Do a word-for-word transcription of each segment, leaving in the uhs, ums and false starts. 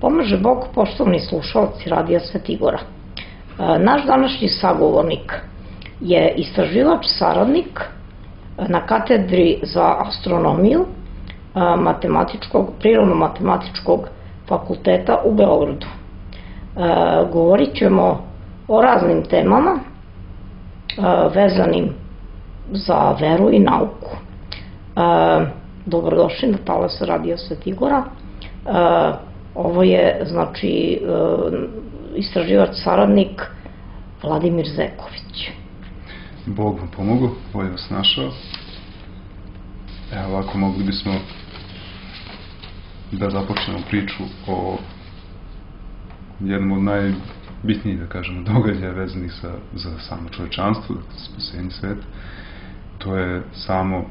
Pomaže Bog, poštovani slušalci Radija Svetigora. Naš današnji sagovornik je istraživač saradnik na katedri za astronomiju matematičkog, prirodno-matematičkog fakulteta u Beogradu. Govorit ćemo o raznim temama vezanim za veru i nauku. Dobrodošli na talas Radija Svetigora. Ovo je, znači, istraživač saradnik Vladimir Zeković. Bog vam pomogu, bolje vas našao. Evo ovako, mogli bismo da započnemo priču o jednom od najbitnijih, da kažemo, događaja vezanih za, za samo čovečanstvo, dakle, spasenje sveta. To je samo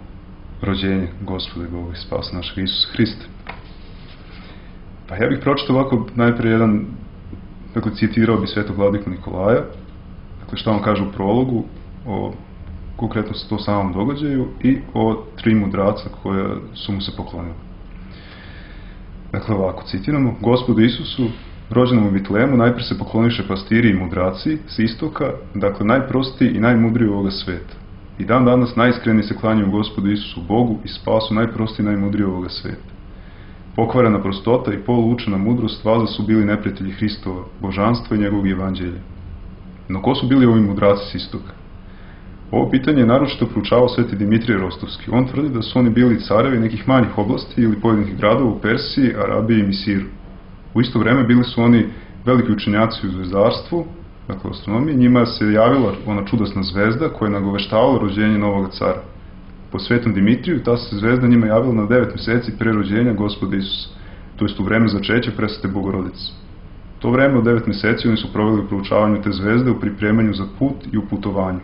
rođenje Gospoda Boga i spasa našeg Isusa Hrista. Pa ja bih pročitao ovako najprije jedan, dakle, citirao bi svetog vladiku Nikolaja, dakle, što on kaže u prologu o konkretno to samom događaju i o tri mudraca koja su mu se poklonili. Dakle, ovako citiramo: Gospodu Isusu, rođenom u Vitlemu, najprije se pokloniše pastiri i mudraci s istoka, dakle, najprostiji i najmudriji ovoga sveta. I dan danas najiskreniji se klanjaju Gospodu Isusu, Bogu i spasu najprostiji i najmudriji ovoga sveta. Pokvarena prostota i poluučena mudrost valjda su bili neprijatelji Hristova, božanstva i njegovog evanđelja. No ko su bili ovi mudraci s istoka? Ovo pitanje je naročito proučavao sveti Dimitrije Rostovski. On tvrdi da su oni bili carevi nekih manjih oblasti ili pojedinih gradova u Persiji, Arabiji i Misiru. U isto vreme bili su oni veliki učenjaci u zvezdarstvu, dakle astronomiji. Njima se javila ona čudesna zvezda koja je nagoveštavala rođenje novog cara. Po svetom Dimitriju ta se zvezda njima javila na devet meseci pre rođenja Gospoda Isusa, to jest u vreme začeća presvete Bogorodice. To vreme od devet meseci oni su proveli u proučavanju te zvezde, u pripremanju za put i u putovanju.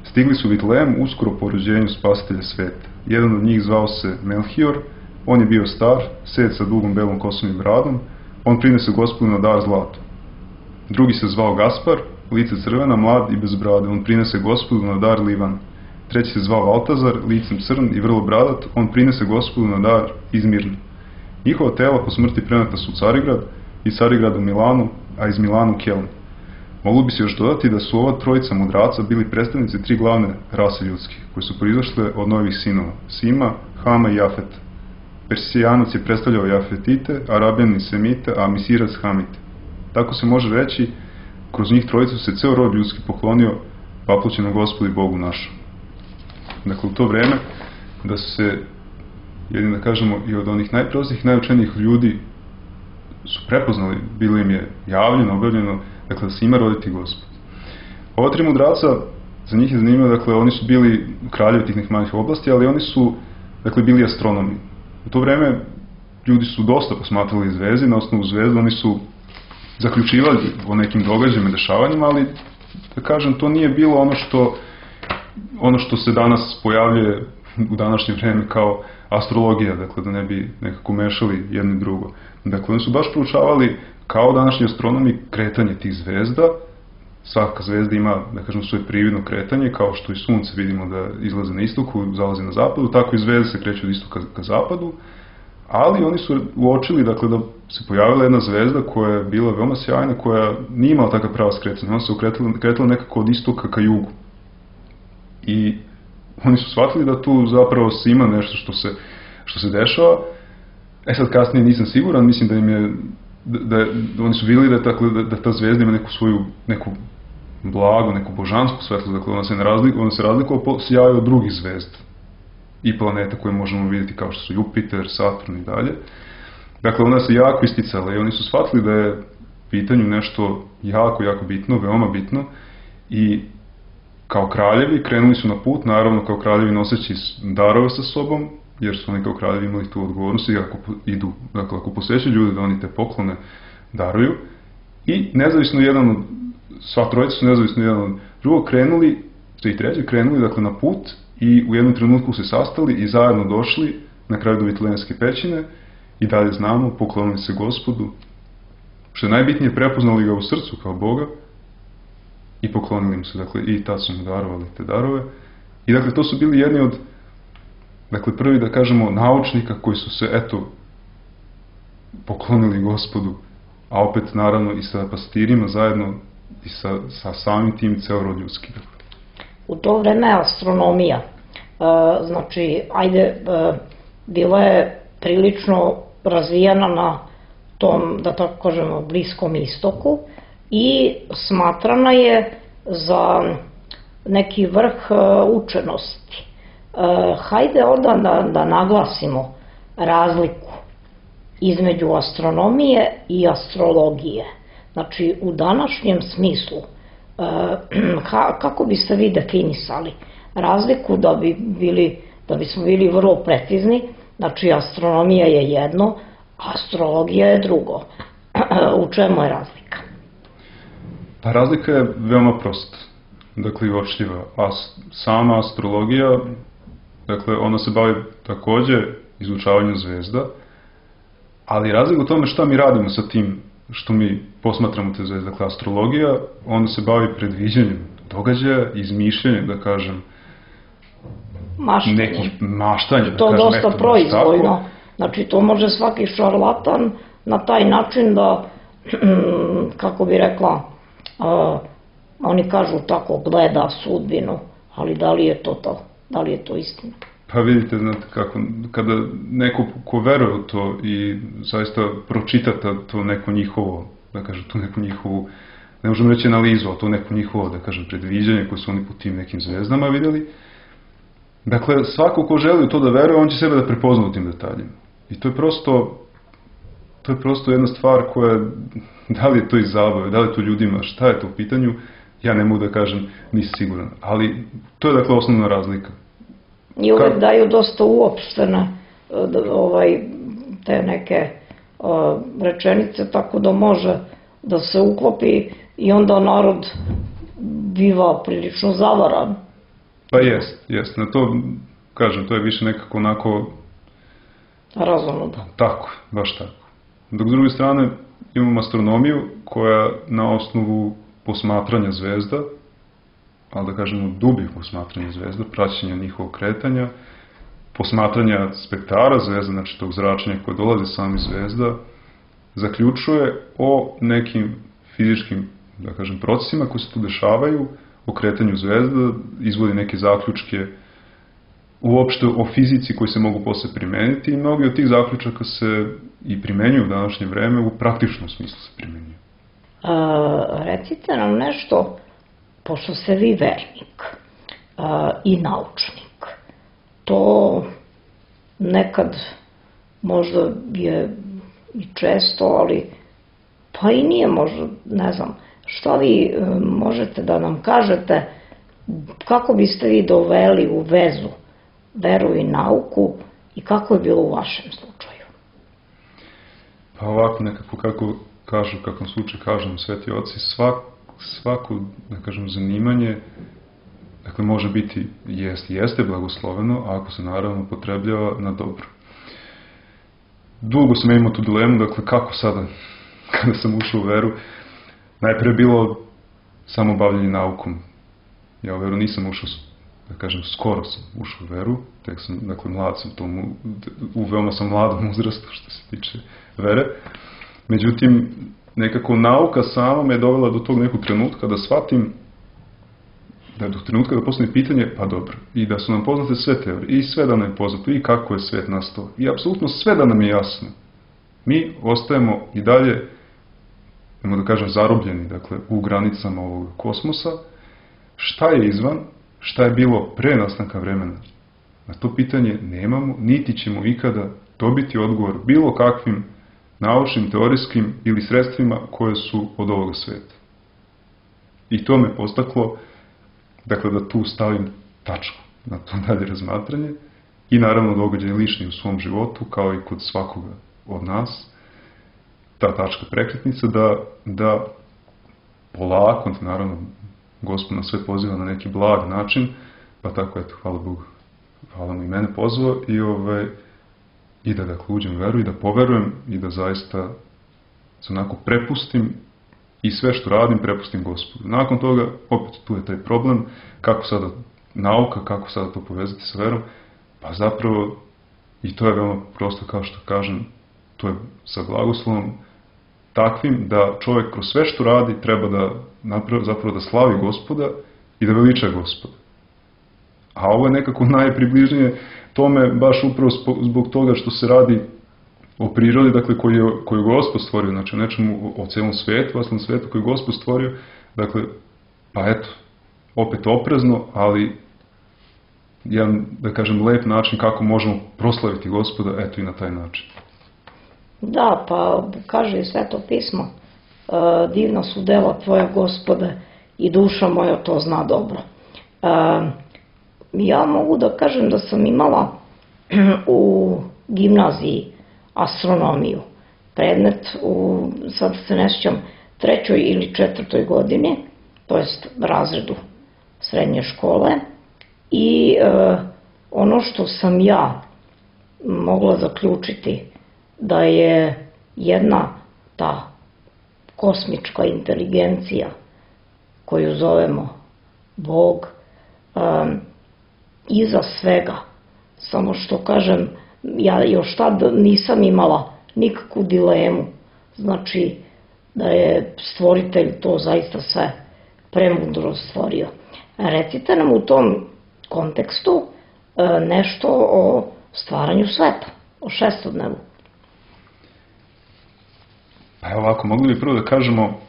Stigli su u Vitlem uskoro po rođenju spasitelja sveta. Jedan od njih zvao se Melhior, on je bio star, sed sa dugom belom kosom i bradom, on prinese Gospodu na dar zlato. Drugi se zvao Gaspar, lice crvena, mlad i bez brade, on prinese Gospodu na dar livan. Treći se zvao Valtazar, licem crn i vrlo bradat, on prinese Gospodu na dar izmirn. Njihova tela po smrti preneta su u Carigrad, iz Carigrada u Milanu, a iz Milana u Keln. Moglo bi se još dodati da su ova trojica mudraca bili predstavnici tri glavne rase ljudske, koje su proizašle od novih sinova, Sima, Hama i Jafeta. Persijanac je predstavljao Jafetite, Arabijanin Semite, a Misirac Hamite. Tako se može reći, kroz njih trojicu se ceo rod ljudski poklonio vapućenom Gospodu i Bogu našom. Dakle, u to vreme da su se, jedin da kažemo, i od onih najprostijih, najučenijih ljudi su prepoznali, bilo im je javljeno, objavljeno, dakle, da se ima roditi Gospod. Ova tri mudraca, za njih je zanimljivo, dakle, oni su bili kraljevi tih nekih manjih oblasti, ali oni su, dakle, bili astronomi. U to vreme ljudi su dosta posmatrali zvezde, na osnovu zvezda oni su zaključivali o nekim događajima, dešavanjima, ali, da kažem, to nije bilo ono što ono što se danas pojavljuje u današnje vreme kao astrologija, dakle, da ne bi nekako mešali jedno i drugo. Dakle, oni su baš proučavali, kao današnji astronomi, kretanje tih zvezda. Svaka zvezda ima, da kažem, svoje prividno kretanje, kao što i sunce vidimo da izlaze na istoku, zalazi na zapadu, tako i zvezde se kreću od istoka ka zapadu, ali oni su uočili, dakle, da se pojavila jedna zvezda koja je bila veoma sjajna, koja nije imala takav pravac kretanja, ona se kretala nekako od istoka ka jugu. I oni su shvatili da tu zapravo se ima nešto što se, što se dešava. E sad, kasnije nisam siguran, mislim da im je, da, da, da oni su vidjeli da, dakle, da, da ta zvezda ima neku svoju, neku blagu, neku božansku svetlost, dakle ona se, ne razlikuje, ona se razlikuje po sjaju od drugih zvezda i planeta koje možemo vidjeti kao što su Jupiter, Saturn i dalje. Dakle, ona se jako isticala i oni su shvatili da je pitanju nešto jako, jako bitno, veoma bitno, i kao kraljevi krenuli su na put, naravno kao kraljevi noseći darove sa sobom, jer su oni kao kraljevi imali tu odgovornost i ako idu, dakle, ako posvećaju ljude da oni te poklone daruju. I nezavisno jedan od, sva trojica su nezavisno jedan od drugog krenuli, to i treći krenuli, dakle, na put i u jednom trenutku se sastali i zajedno došli na kraju do Vitlemske pećine i dalje znamo, poklonili se Gospodu, što je najbitnije, prepoznali ga u srcu kao Boga i poklonili mu se, dakle, i tad su mu darovali te darove. I dakle, to su bili jedni od, dakle, prvi, da kažemo, naučnika koji su se, eto, poklonili Gospodu, a opet naravno i sa pastirima zajedno i sa, sa samim tim ceo rod ljudski. U to vreme astronomija, znači, ajde, bila je prilično razvijena na tom, da tako kažemo, Bliskom istoku i smatrana je za neki vrh učenosti. Hajde onda da, da naglasimo razliku između astronomije i astrologije. Znači, u današnjem smislu, kako biste vi definisali razliku da bi bili, da bismo bili vrlo precizni? Znači, astronomija je jedno, astrologija je drugo. U čemu je razlika? Pa razlika je veoma prosta, dakle i uočljiva. A sama astrologija, dakle, ona se bavi takođe izučavanjem zvezda, ali razlika u tome šta mi radimo sa tim što mi posmatramo te zvezde. Dakle, astrologija, onda se bavi predviđanjem događaja, izmišljanjem, da kažem, maštanje. Nekih maštanja, da to kažem, dosta eto, proizvoljno. Znači, to može svaki šarlatan na taj način da, kako bi rekla, uh, oni kažu tako, gleda sudbinu, ali da li je to to? Da li je to istina? Pa vidite, znate kako, kada neko ko veruje u to i zaista pročita to neko njihovo, da kažem, tu neku njihovu, ne možemo reći analizu, ali to neko njihovo, da kažem, predviđanje koje su oni po tim nekim zvezdama vidjeli. Dakle, svako ko želi u to da veruje, on će sebe da prepozna u tim detaljima. I to je prosto, to je prosto jedna stvar koja, da li je to iz zabave, da li je to ljudima, šta je to u pitanju, ja ne mogu da kažem, nisam siguran. Ali to je, dakle, osnovna razlika. I uvek Ka... daju dosta uopštene ovaj, te neke o, rečenice, tako da može da se uklopi i onda narod biva prilično zavaran. Pa jest, jest. Na to, kažem, to je više nekako onako... Razonudo. Tako, baš tako. Dok s druge strane imamo astronomiju koja na osnovu posmatranja zvezda, ali da kažemo dubih posmatranja zvezda, praćenja njihovog kretanja, posmatranja spektara zvezda, znači tog zračenja koje dolaze sami zvezda, zaključuje o nekim fizičkim, da kažem, procesima koji se tu dešavaju, o kretanju zvezda, izvodi neke zaključke uopšte o fizici koji se mogu posle primeniti i mnogi od tih zaključaka se i primenjuju u današnje vreme, u praktičnom smislu se primenjuju. A, recite nam nešto, pošto ste vi vernik a, i naučnik, to nekad možda je i često, ali pa i nije možda, ne znam, šta vi možete da nam kažete, kako biste vi doveli u vezu veru i nauku i kako je bilo u vašem slučaju? Pa ovako nekako, kako kažu, kakvom slučaju kažem sveti oci, svak, svako, da kažem, zanimanje, dakle, može biti, jest, jeste blagosloveno, ako se naravno potrebljava na dobro. Dugo sam imao tu dilemu, dakle, kako sada, kada sam ušao u veru, najpre je bilo samo bavljanje naukom. Ja u veru nisam ušao, da kažem, skoro sam ušao u veru, tek sam, dakle, mlad sam tomu, u veoma sam mladom uzrastu što se tiče vere. Međutim, nekako nauka sama me je dovela do tog nekog trenutka da shvatim, da je do trenutka da postavim pitanje, pa dobro, i da su nam poznate sve teorije, i sve da nam je poznato, i kako je svet nastao, i apsolutno sve da nam je jasno. Mi ostajemo i dalje, nemo da kažem, zarobljeni, dakle, u granicama ovog kosmosa. Šta je izvan, šta je bilo pre nastanka vremena? Na to pitanje nemamo, niti ćemo ikada dobiti odgovor bilo kakvim naučnim, teorijskim ili sredstvima koje su od ovoga sveta. I to me postaklo, dakle, da tu stavim tačku na to dalje razmatranje i naravno događaj lični u svom životu, kao i kod svakoga od nas, ta tačka prekretnica, da, da polako, naravno, Gospod nas sve poziva na neki blag način, pa tako, eto, hvala Bogu, hvala mu i mene pozvao i, ovaj, i da, dakle, uđem u veru i da poverujem i da zaista se onako prepustim i sve što radim prepustim Gospodu. Nakon toga, opet, tu je taj problem, kako sada nauka, kako sada to povezati sa verom, pa zapravo, i to je veoma prosto, kao što kažem, To je sa blagoslovom takvim da čovjek kroz sve što radi treba da napravi, zapravo da slavi Gospoda i da veliča Gospoda. A ovo je nekako najpribližnije tome baš upravo zbog toga što se radi o prirodi, dakle, koju je, koju je Gospod stvorio, znači o nečemu, o celom svetu, ostalom svetu koji je Gospod stvorio, dakle, pa eto, opet oprezno, ali jedan, da kažem, lep način kako možemo proslaviti Gospoda, eto i na taj način. Da, pa kaže i Sveto pismo, e, divna su dela tvoja, Gospode, i duša moja to zna dobro. E, ja mogu da kažem da sam imala u gimnaziji astronomiju, predmet u, sad se ne sjećam, trećoj ili četvrtoj godini, to jest razredu srednje škole, i e, ono što sam ja mogla zaključiti da je jedna ta kosmička inteligencija koju zovemo Bog, e, iza svega, samo što kažem, ja još tad nisam imala nikakvu dilemu, znači da je stvoritelj to zaista sve premudro stvorio. Recite nam u tom kontekstu e, nešto o stvaranju sveta, o šestodnevu. Pa evo ovako, mogli bi prvo da kažemo,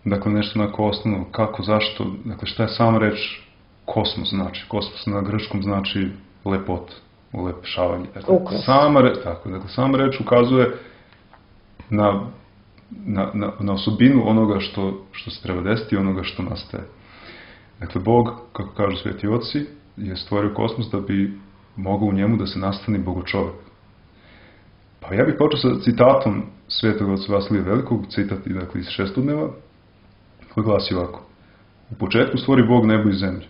dakle, nešto onako osnovno, kako, zašto, dakle, šta je sama reč kosmos znači? Kosmos na grčkom znači lepot, ulepšavanje. Dakle, sama, re, tako, dakle, sama reč ukazuje na, na, na, na osobinu onoga što, što se treba desiti i onoga što nastaje. Dakle, Bog, kako kažu sveti oci, je stvorio kosmos da bi mogao u njemu da se nastani bogočovek. Pa ja bih počeo sa citatom svetog oca Vasilija Velikog, citat dakle, iz šestodneva, koji glasi ovako. U početku stvori Bog nebo i zemlju.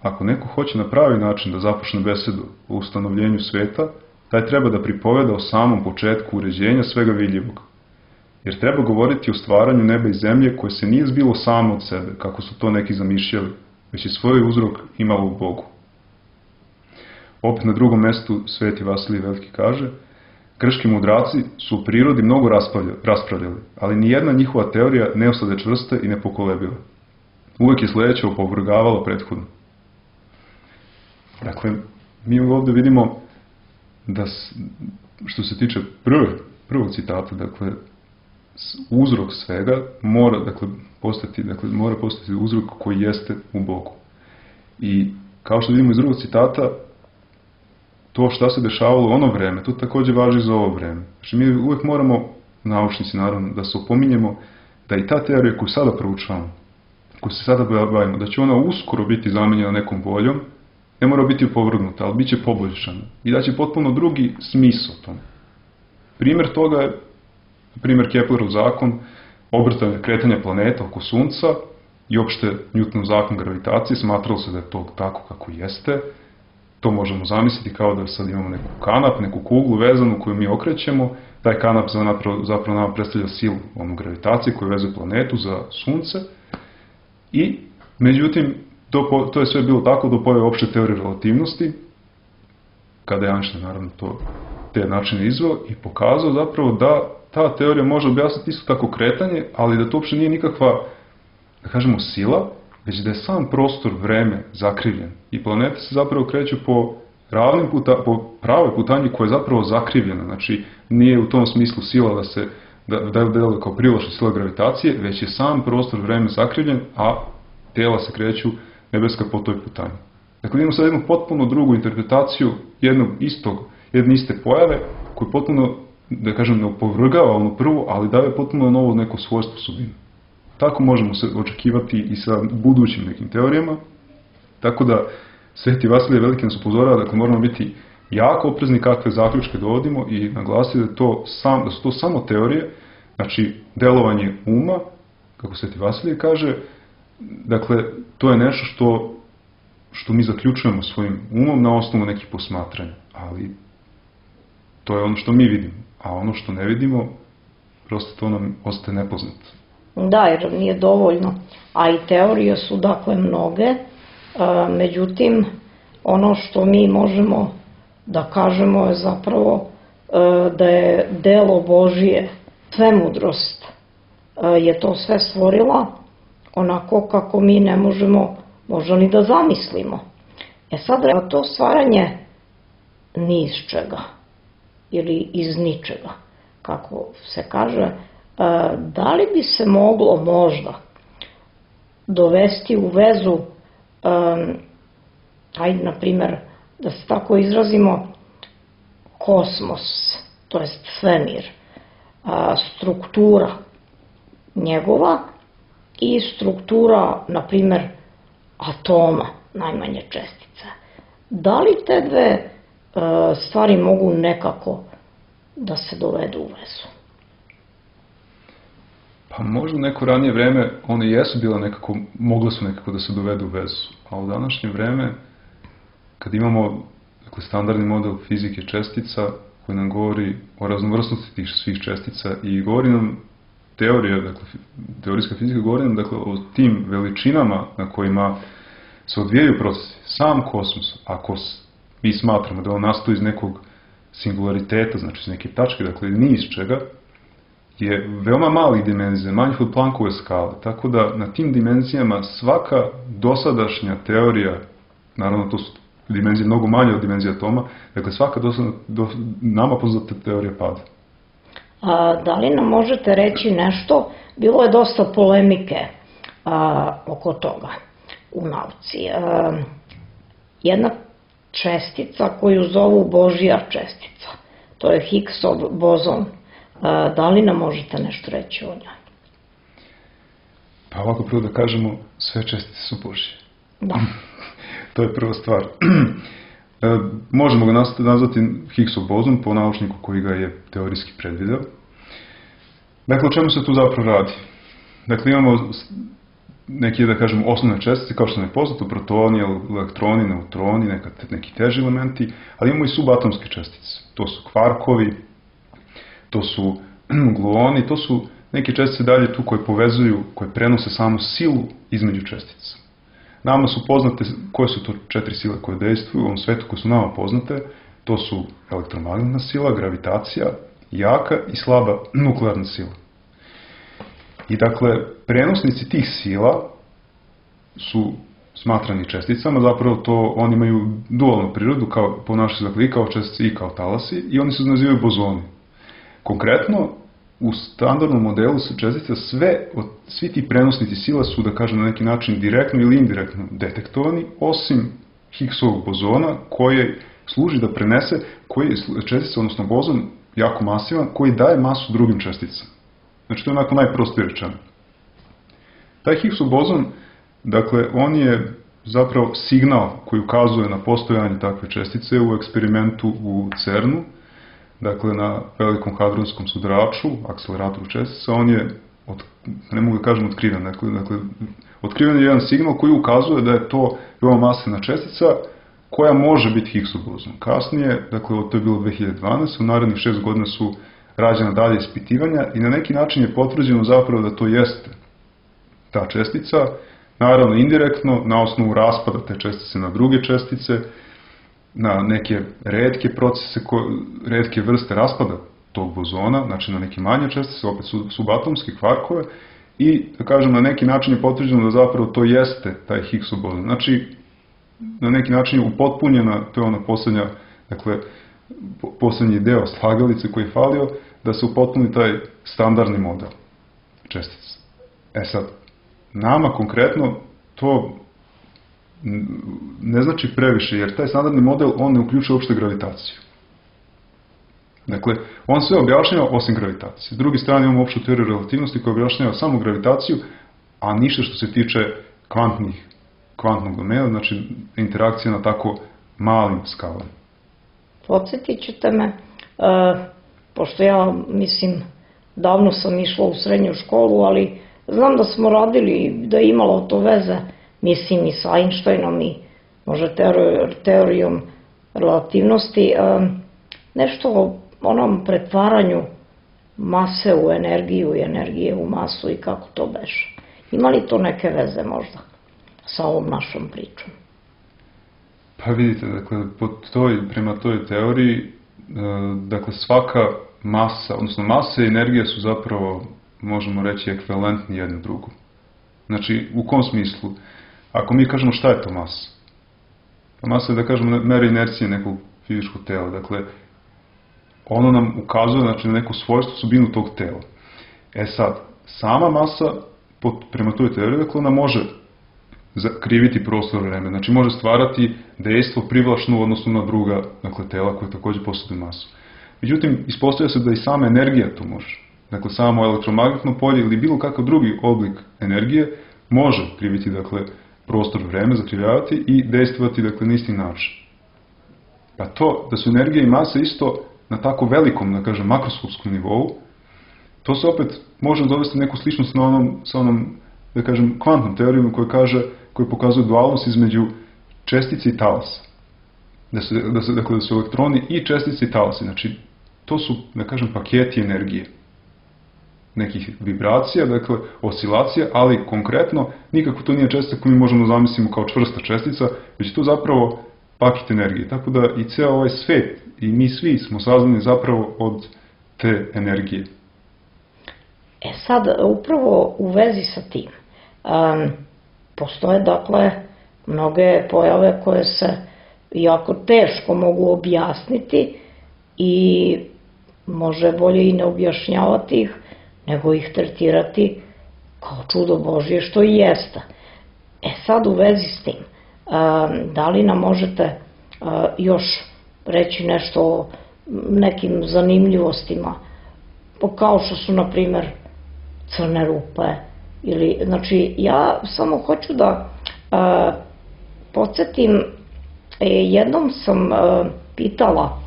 Ako neko hoće na pravi način da započne besedu o ustanovljenju sveta, taj treba da pripoveda o samom početku uređenja svega vidljivog. Jer treba govoriti o stvaranju neba i zemlje koje se nije zbilo samo od sebe, kako su to neki zamišljali, već je svoj uzrok imalo u Bogu. Opet na drugom mestu sveti Vasilij Veliki kaže, grčki mudraci su u prirodi mnogo raspravljali, ali nijedna njihova teorija ne ostade čvrsta i nepokolebiva. Uvek je sledeća opovrgavala prethodno. Dakle, mi ovdje vidimo da, što se tiče prve, prvog citata, dakle, uzrok svega mora, dakle, postati, dakle, mora postati uzrok koji jeste u Bogu. I kao što vidimo iz drugog citata, to šta se dešavalo u ono vreme, to također važi za ovo vreme. Znači, mi uvijek moramo, naučnici naravno, da se opominjemo da i ta teorija koju sada proučavamo, koju se sada bavimo, da će ona uskoro biti zamenjena nekom boljom, ne mora biti opovrgnuta, ali bit će poboljšana. I da će potpuno drugi smisao tome. Primjer toga je, primjer Keplerov zakon, obrtanja kretanja planeta oko Sunca i opšte Newtonov zakon gravitacije, smatralo se da je to tako kako jeste. To možemo zamisliti kao da sad imamo neku kanap, neku kuglu vezanu koju mi okrećemo. Taj kanap zapravo, zapravo nam predstavlja silu onu gravitacije koju vezuje planetu za Sunce. I, međutim, to, to je sve bilo tako do pojave opšte teorije relativnosti, kada je Einstein naravno to, te načine izveo i pokazao zapravo da ta teorija može objasniti isto tako kretanje, ali da to uopšte nije nikakva, da kažemo, sila, već da je sam prostor, vreme zakrivljen. I planete se zapravo kreću po, ravnim puta, po pravoj putanji koja je zapravo zakrivljena. Znači, nije u tom smislu sila da se da, da je deluje kao privlačna sila gravitacije, već je sam prostor, vreme zakrivljen, a tela se kreću nebeska po toj putanji. Dakle, imamo sad jednu potpuno drugu interpretaciju jednog istog, jedne iste pojave, koju potpuno, da kažem, ne opovrgava ono prvo, ali daje potpuno novo neko svojstvo osobinu. Tako možemo se očekivati i sa budućim nekim teorijama. Tako da, sveti Vasilije Veliki nas upozorava, dakle, moramo biti jako oprezni kakve zaključke dovodimo i naglasiti da, to sam, da su to samo teorije, znači delovanje uma, kako sveti Vasilije kaže, dakle, to je nešto što, što mi zaključujemo svojim umom na osnovu nekih posmatranja, ali to je ono što mi vidimo, a ono što ne vidimo, prosto to nam ostaje nepoznato. Da, jer nije dovoljno, a i teorije su dakle mnoge, međutim, ono što mi možemo da kažemo je zapravo da je delo Božije, svemudrost je to sve stvorila onako kako mi ne možemo možda ni da zamislimo. E sad, to stvaranje ni iz čega ili iz ničega, kako se kaže, da li bi se moglo možda dovesti u vezu, ajde, na primer, da se tako izrazimo, kosmos, to jest svemir, struktura njegova i struktura, na primer, atoma, najmanje čestice. Da li te dve stvari mogu nekako da se dovedu u vezu? Pa možda u neko ranije vreme one jesu bile nekako, mogle su nekako da se dovedu u vezu, a u današnje vreme, kad imamo dakle, standardni model fizike čestica koji nam govori o raznovrsnosti tih svih čestica i govori nam teorija, dakle, teorijska fizika govori nam dakle, o tim veličinama na kojima se odvijaju procesi. Sam kosmos, ako mi smatramo da on nastoji iz nekog singulariteta, znači iz neke tačke, dakle ni iz čega, je veoma malih dimenzija, manjih od Planckove skale, tako da na tim dimenzijama svaka dosadašnja teorija, naravno to su dimenzije mnogo manje od dimenzije atoma, dakle svaka dosad, do, nama poznata teorija pada. A, da li nam možete reći nešto? Bilo je dosta polemike a, oko toga u nauci. A, jedna čestica koju zovu Božja čestica, to je Higgsov bozon. A, da li nam možete nešto reći o njoj? Pa ovako prvo da kažemo, sve čestice su Božje. Da. To je prva stvar. E, možemo ga nazvati Higgsov bozon po naučniku koji ga je teorijski predvideo. Dakle, o čemu se tu zapravo radi? Dakle, imamo neke, da kažemo, osnovne čestice, kao što nam je poznato, protoni, elektroni, neutroni, neka, neki teži elementi, ali imamo i subatomske čestice. To su kvarkovi, to su gluoni, to su neke čestice dalje tu koje povezuju, koje prenose samo silu između čestica. Nama su poznate koje su to četiri sile koje dejstvuju u ovom svetu, koje su nama poznate. To su elektromagnetna sila, gravitacija, jaka i slaba nuklearna sila. I dakle, prenosnici tih sila su smatrani česticama, zapravo to oni imaju dualnu prirodu, kao, ponašaju se dakle i kao čestice i kao talasi, i oni se nazivaju bozoni. Konkretno, u standardnom modelu se čestica sve, od, svi ti prenosnici sila su, da kažem, na neki način direktno ili indirektno detektovani, osim Higgsovog bozona, koji služi da prenese, koji je čestica, odnosno bozon, jako masivan, koji daje masu drugim česticama. Znači, to je onako najprostije rečeno. Taj Higgsov bozon, dakle, on je zapravo signal koji ukazuje na postojanje takve čestice u eksperimentu u CERNu, dakle, na velikom hadronskom sudraču, akceleratoru čestica, on je, od, ne mogu da kažem otkriven, dakle, dakle, otkriven je jedan signal koji ukazuje da je to veoma masivna čestica koja može biti Higgsov bozon. Kasnije, dakle, to je bilo dve hiljade dvanaeste. u narednih šest godina su rađena dalje ispitivanja i na neki način je potvrđeno zapravo da to jeste ta čestica, naravno indirektno, na osnovu raspada te čestice na druge čestice, na neke retke procese, retke vrste raspada tog bozona, znači na neke manje čestice, opet subatomske, kvarkove, i, da kažem, na neki način je potvrđeno da zapravo to jeste taj Higgsov bozon. Znači, na neki način je upotpunjena, to je ona poslednja, dakle, poslednji deo slagalice koji je falio, da se upotpuni taj standardni model čestica. E sad, nama konkretno to ne znači previše, jer taj standardni model, on ne uključuje uopšte gravitaciju. Dakle, on sve objašnjava osim gravitacije. S druge strane imamo opštu teoriju relativnosti koja objašnjava samo gravitaciju, a ništa što se tiče kvantnih, kvantnog domena, znači interakcija na tako malim skalama. Podsjetit ćete me, uh, pošto ja, mislim, davno sam išla u srednju školu, ali znam da smo radili, da je imalo to veze, mislim, i sa Einsteinom i možda teorijom relativnosti, nešto o onom pretvaranju mase u energiju i energije u masu i kako to beše. Ima li to neke veze možda sa ovom našom pričom? Pa vidite, dakle, po toj, prema toj teoriji dakle, svaka masa, odnosno masa i energija su zapravo, možemo reći, ekvivalentni jedno drugo. Znači, u kom smislu? Ako mi kažemo šta je to masa? Pa masa je, da kažemo, mera inercije nekog fizičkog tela. Dakle, ono nam ukazuje, znači, na neku svojstvo, osobinu tog tela. E sad, sama masa, prema toj teoriji, dakle, ona može kriviti prostor vreme. Znači, može stvarati dejstvo privlačno u odnosu na druga, dakle, tela koje takođe posjeduju masu. Međutim, ispostavlja se da i sama energija to može. Dakle, samo elektromagnetno polje ili bilo kakav drugi oblik energije može kriviti, dakle, prostor vreme, zakrivljavati i dejstvovati, dakle, na isti način. Pa to, da su energija i masa isto na tako velikom, da kažem, makroskopskom nivou, to se opet može dovesti neku sličnost na onom, sa onom, da kažem, kvantnom teorijom koja kaže, koja pokazuje dualnost između čestice i talasa. Da su, da su, dakle, da su elektroni i čestice i talasi. Znači, to su, da kažem, paketi energije. Nekih vibracija, dakle, oscilacija, ali konkretno nikako to nije čestica koju mi možemo zamisliti kao čvrsta čestica, već to zapravo paket energije. Tako da i ceo ovaj svet i mi svi smo sazdani zapravo od te energije. E sad, upravo u vezi sa tim, um, postoje, dakle, mnoge pojave koje se jako teško mogu objasniti i može bolje i ne objašnjavati ih, nego ih tretirati kao čudo Božje, što i jeste. E sad, u vezi s tim, da li nam možete još reći nešto o nekim zanimljivostima, kao što su, na primer, crne rupe, ili, znači, ja samo hoću da podsjetim, jednom sam pitala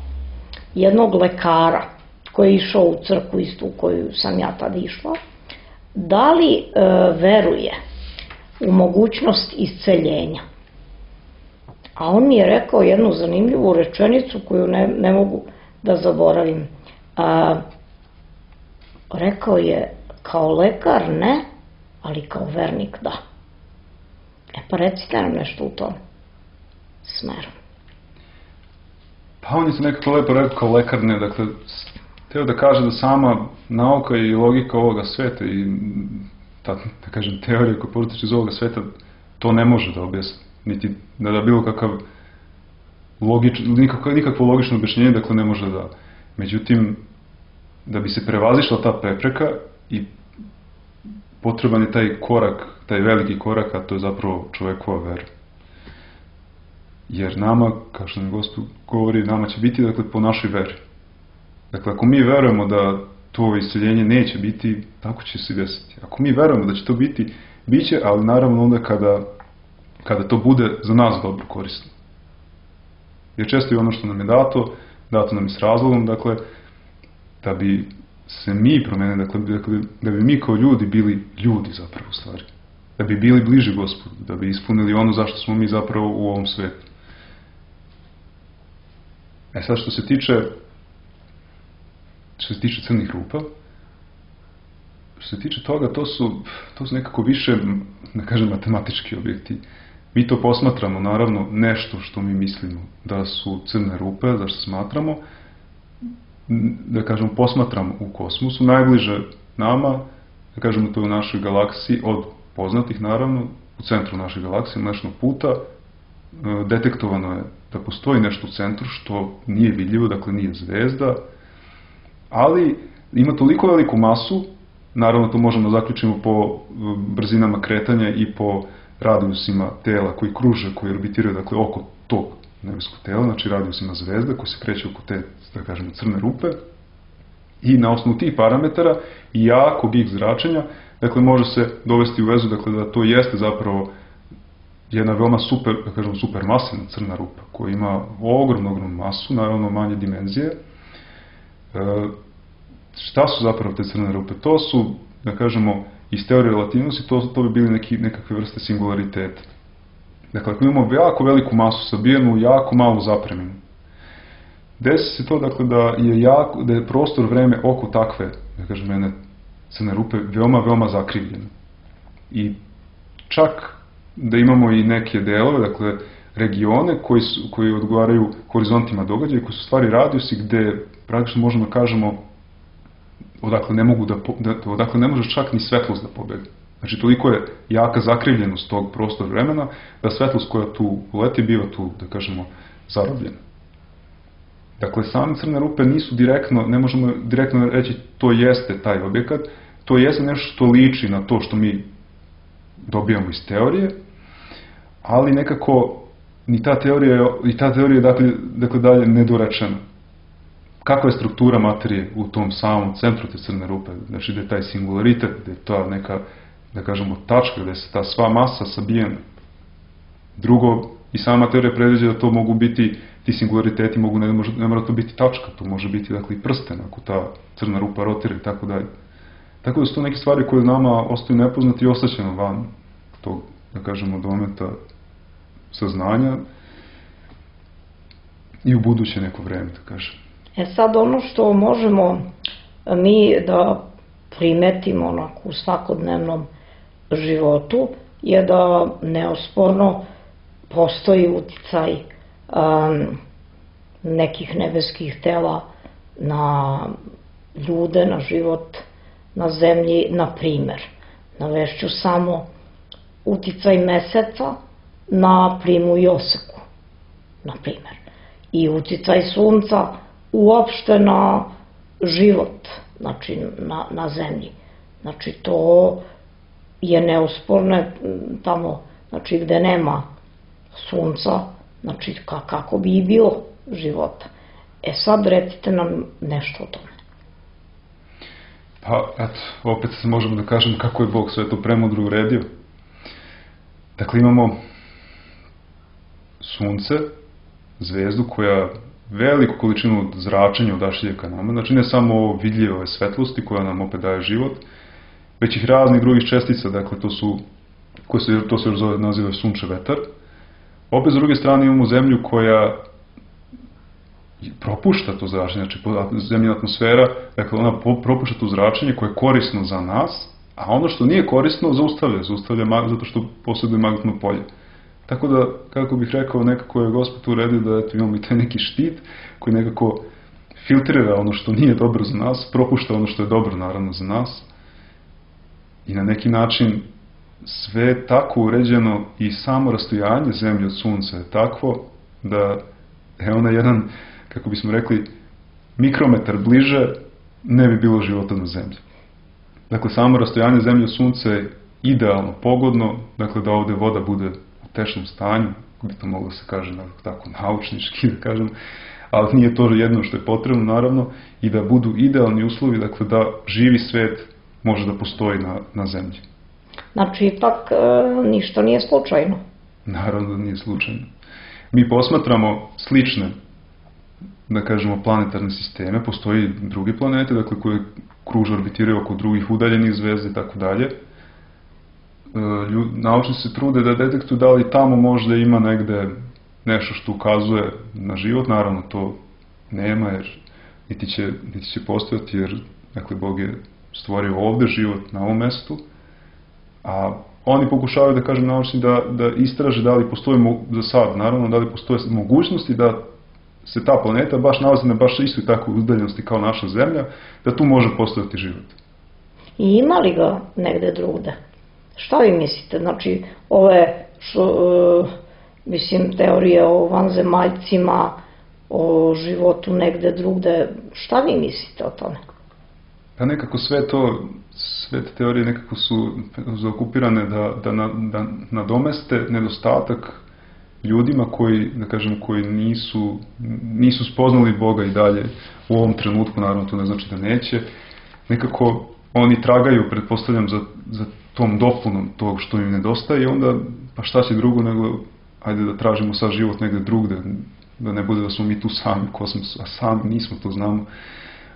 jednog lekara koji je išao u crkvu istu u koju sam ja tad išla, da li e, veruje u mogućnost isceljenja. A on mi je rekao jednu zanimljivu rečenicu koju ne, ne mogu da zaboravim. A, rekao je, kao lekar ne, ali kao vernik da. E pa recite nam nešto u tom smeru. Pa on je se nekako lepo rekao kao lekar ne, dakle, hteo da kaže da sama nauka i logika ovoga sveta i ta, da kažem, teorija koja protiče iz ovoga sveta to ne može da objasni, niti da da bilo kakav logič, nikakvo, nikakvo logično objašnjenje, dakle ne može da. Međutim, da bi se prevazišla ta prepreka i potreban je taj korak, taj veliki korak, a to je zapravo čovekova vera. Jer nama, kao što mi Gospod govori, nama će biti, dakle, po našoj veri. Dakle, ako mi verujemo da to isceljenje neće biti, tako će se desiti. Ako mi verujemo da će to biti, bit će, ali naravno onda kada, kada to bude za nas dobro korisno. Jer često je ono što nam je dato, dato nam je s razlogom, dakle, da bi se mi promenili, dakle, da bi mi kao ljudi bili ljudi zapravo u stvari. Da bi bili bliži Gospodu, da bi ispunili ono zašto smo mi zapravo u ovom svetu. E sad, što se tiče što se tiče crnih rupa, što se tiče toga, to su, to su nekako više, da kažem, matematički objekti. Mi to posmatramo, naravno, nešto što mi mislimo da su crne rupe, zašto smatramo, da kažemo, posmatramo u kosmosu, najbliže nama, da kažemo, to je u našoj galaksiji, od poznatih, naravno, u centru naše galaksije, Mlečnog puta, detektovano je da postoji nešto u centru što nije vidljivo, dakle nije zvezda, ali ima toliko veliku masu, naravno to možemo da zaključimo po brzinama kretanja i po radijusima tela koji kruže, koji orbitiraju, dakle, oko tog nebeskog tela, znači radijusima zvezda koji se kreće oko te, da kažemo, crne rupe, i na osnovu tih parametara i jakog X zračenja, dakle, može se dovesti u vezu, dakle, da to jeste zapravo jedna veoma super, da kažemo, supermasivna crna rupa koja ima ogromnu, ogromnu masu, naravno manje dimenzije. E, šta su zapravo te crne rupe? To su, da kažemo, iz teorije relativnosti, to, to bi bili neki, nekakve vrste singulariteta. Dakle, ako imamo jako veliku masu sabijenu, jako malu zapreminu, desi se to, dakle, da je, jako, da je prostor vreme oko takve, da kažem, jedne crne rupe veoma, veoma zakrivljeno. I čak da imamo i neke delove, dakle, regione koji, su, koji odgovaraju horizontima događaja, koji su stvari radijusi gde praktično možemo da kažemo odakle ne mogu da, da odakle ne može čak ni svetlost da pobedi. Znači, toliko je jaka zakrivljenost tog prostora vremena da svetlost koja tu uleti biva tu, da kažemo, zarobljena. Dakle, same crne rupe nisu direktno, ne možemo direktno reći to jeste taj objekat, to jeste nešto što liči na to što mi dobijamo iz teorije, ali nekako ni ta teorija, i ta teorija je dakle, dakle dalje nedorečena. Kakva je struktura materije u tom samom centru te crne rupe? Znači, gde je taj singularitet, gde je ta neka, da kažemo, tačka, gde se ta sva masa sabijena. Drugo, i sama teorija predviđa da to mogu biti, ti singulariteti mogu, ne, može, ne mora to biti tačka, to može biti, dakle, i prsten, ako ta crna rupa rotira i tako dalje. Tako da su to neke stvari koje nama ostaju nepoznati i ostaćeno van tog, da kažemo, dometa saznanja i u buduće neko vreme, da kažem. E sad, ono što možemo mi da primetimo onako u svakodnevnom životu je da neosporno postoji uticaj um, nekih nebeskih tela na ljude, na život na zemlji, na primer. Navešću samo uticaj meseca na plimu i oseku, na primer. I uticaj sunca uopšte na život, znači na, na zemlji. Znači to je neosporno tamo, znači gde nema sunca, znači kako bi i bilo života. E sad recite nam nešto o tome. Pa, eto, opet možemo da kažem kako je Bog sve to premudro uredio. Dakle, imamo sunce, zvezdu koja veliku količinu zračenja odašilje ka nama, znači ne samo ovo vidljive ove svetlosti koja nam opet daje život, već ih raznih drugih čestica, dakle to su, koje se, to se još zove, naziva sunče vetar. Opet s druge strane imamo zemlju koja propušta to zračenje, znači zemljina atmosfera, dakle ona propušta to zračenje koje je korisno za nas, a ono što nije korisno zaustavlja, zaustavlja zato što posjeduje magnetno polje. Tako da, kako bih rekao, nekako je Gospod uredio da eto, imamo i taj neki štit koji nekako filtrira ono što nije dobro za nas, propušta ono što je dobro naravno za nas i na neki način sve je tako uređeno i samo rastojanje zemlje od sunca je takvo da je ona jedan, kako bismo rekli, mikrometar bliže ne bi bilo života na zemlji. Dakle, samo rastojanje zemlje od sunca je idealno, pogodno, dakle da ovde voda bude u tečnom stanju, bi to moglo se kaže tako naučnički, da kažem, ali nije to jedno što je potrebno, naravno, i da budu idealni uslovi, dakle da živi svet može da postoji na, na zemlji. Znači, ipak e, ništa nije slučajno. Naravno da nije slučajno. Mi posmatramo slične, da kažemo, planetarne sisteme, postoji drugi planete, dakle, koje kruže, orbitiraju oko drugih udaljenih zvezda i tako dalje. Naučnici se trude da detektuju da li tamo možda ima negde nešto što ukazuje na život, naravno to nema, jer niti će, niti će postojati, jer, dakle, Bog je stvorio ovde život na ovom mestu, a oni pokušavaju, da kažem, naučni da, da istraže da li postoji za sad, naravno, da li postoje mogućnosti da se ta planeta baš nalazi na baš istoj takvoj udaljenosti kao naša Zemlja, da tu može postojati život. I ima li ga negde drugde? Šta vi mislite? Znači, ove, što, uh, mislim, teorije o vanzemaljcima, o životu negde drugde, šta vi mislite o tome? Pa nekako sve to, sve te teorije nekako su zaokupirane da, da, na, da nadomeste nedostatak ljudima koji, da kažem, koji nisu, nisu spoznali Boga i dalje u ovom trenutku, naravno to ne znači da neće, nekako oni tragaju, pretpostavljam, za, za tom dopunom tog što im nedostaje i onda, pa šta će drugo nego, ajde da tražimo sad život negde drugde, da ne bude da smo mi tu sami u kosmosu, a sami nismo, to znamo.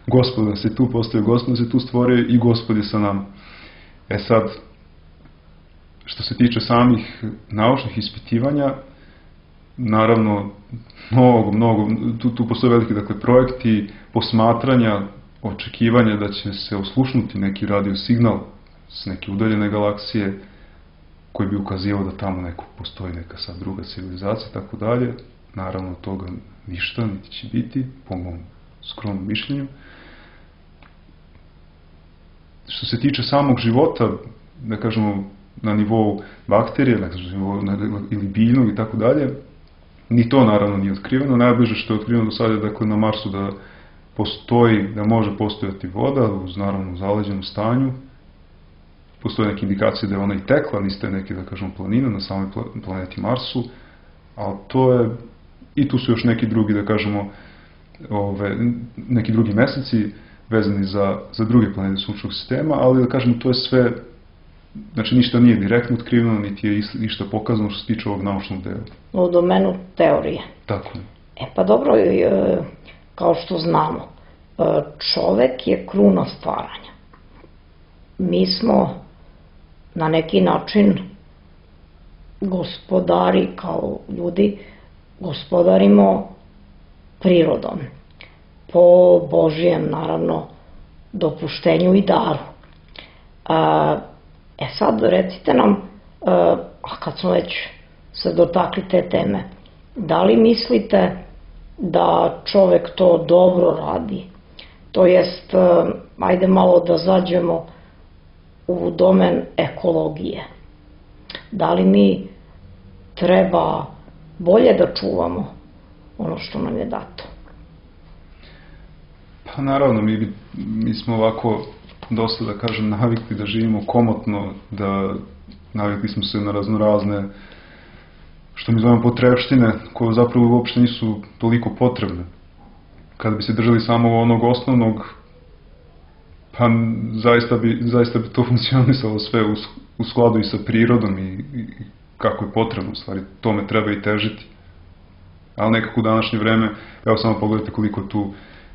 Gospod da se tu postoje, Gospod da se tu stvorio i Gospod je sa nama. E sad, što se tiče samih naučnih ispitivanja, naravno, mnogo, mnogo, tu, tu postoje veliki, dakle, projekti posmatranja, očekivanja da će se oslušnuti neki radio signal s neke udaljene galaksije, koji bi ukazivao da tamo neko postoji neka sad druga civilizacija, tako dalje. Naravno, od toga ništa, niti će biti, po mom skromnom mišljenju. Što se tiče samog života, da kažemo, na nivou bakterije, na nivou, ili biljnog i tako dalje, ni to naravno nije otkriveno. Najbliže što je otkriveno do sada je, dakle, na Marsu da postoji, da može postojati voda, uz naravno zaleđenom stanju. Postoje neke indikacije da je ona i tekla, niste neke, da kažemo, planine na samoj planeti Marsu, ali to je, i tu su još neki drugi, da kažemo, ove, neki drugi meseci vezani za, za druge planete sunčevog sistema, ali da kažemo, to je sve, znači ništa nije direktno otkriveno, niti je ništa pokazano što se tiče ovog naučnog dela. U domenu teorije. Tako. E pa dobro, kao što znamo, čovek je kruna stvaranja. Mi smo na neki način gospodari, kao ljudi, gospodarimo prirodom. Po Božijem, naravno, dopuštenju i daru. E sad, recite nam, a kad smo već se dotakli te teme, da li mislite da čovek to dobro radi? To jest, ajde malo da zađemo u domen ekologije. Da li mi treba bolje da čuvamo ono što nam je dato? Pa naravno, mi, mi smo ovako dosta, da kažem, navikli da živimo komotno, da navikli smo se na raznorazne, što mi zovemo potrebštine, koje zapravo uopšte nisu toliko potrebne. Kada bi se držali samo onog osnovnog, pa zaista bi, zaista bi to funkcionisalo sve u, u skladu i sa prirodom i, i kako je potrebno, u stvari, tome treba i težiti. Ali nekako u današnje vreme, evo samo pogledajte koliko tu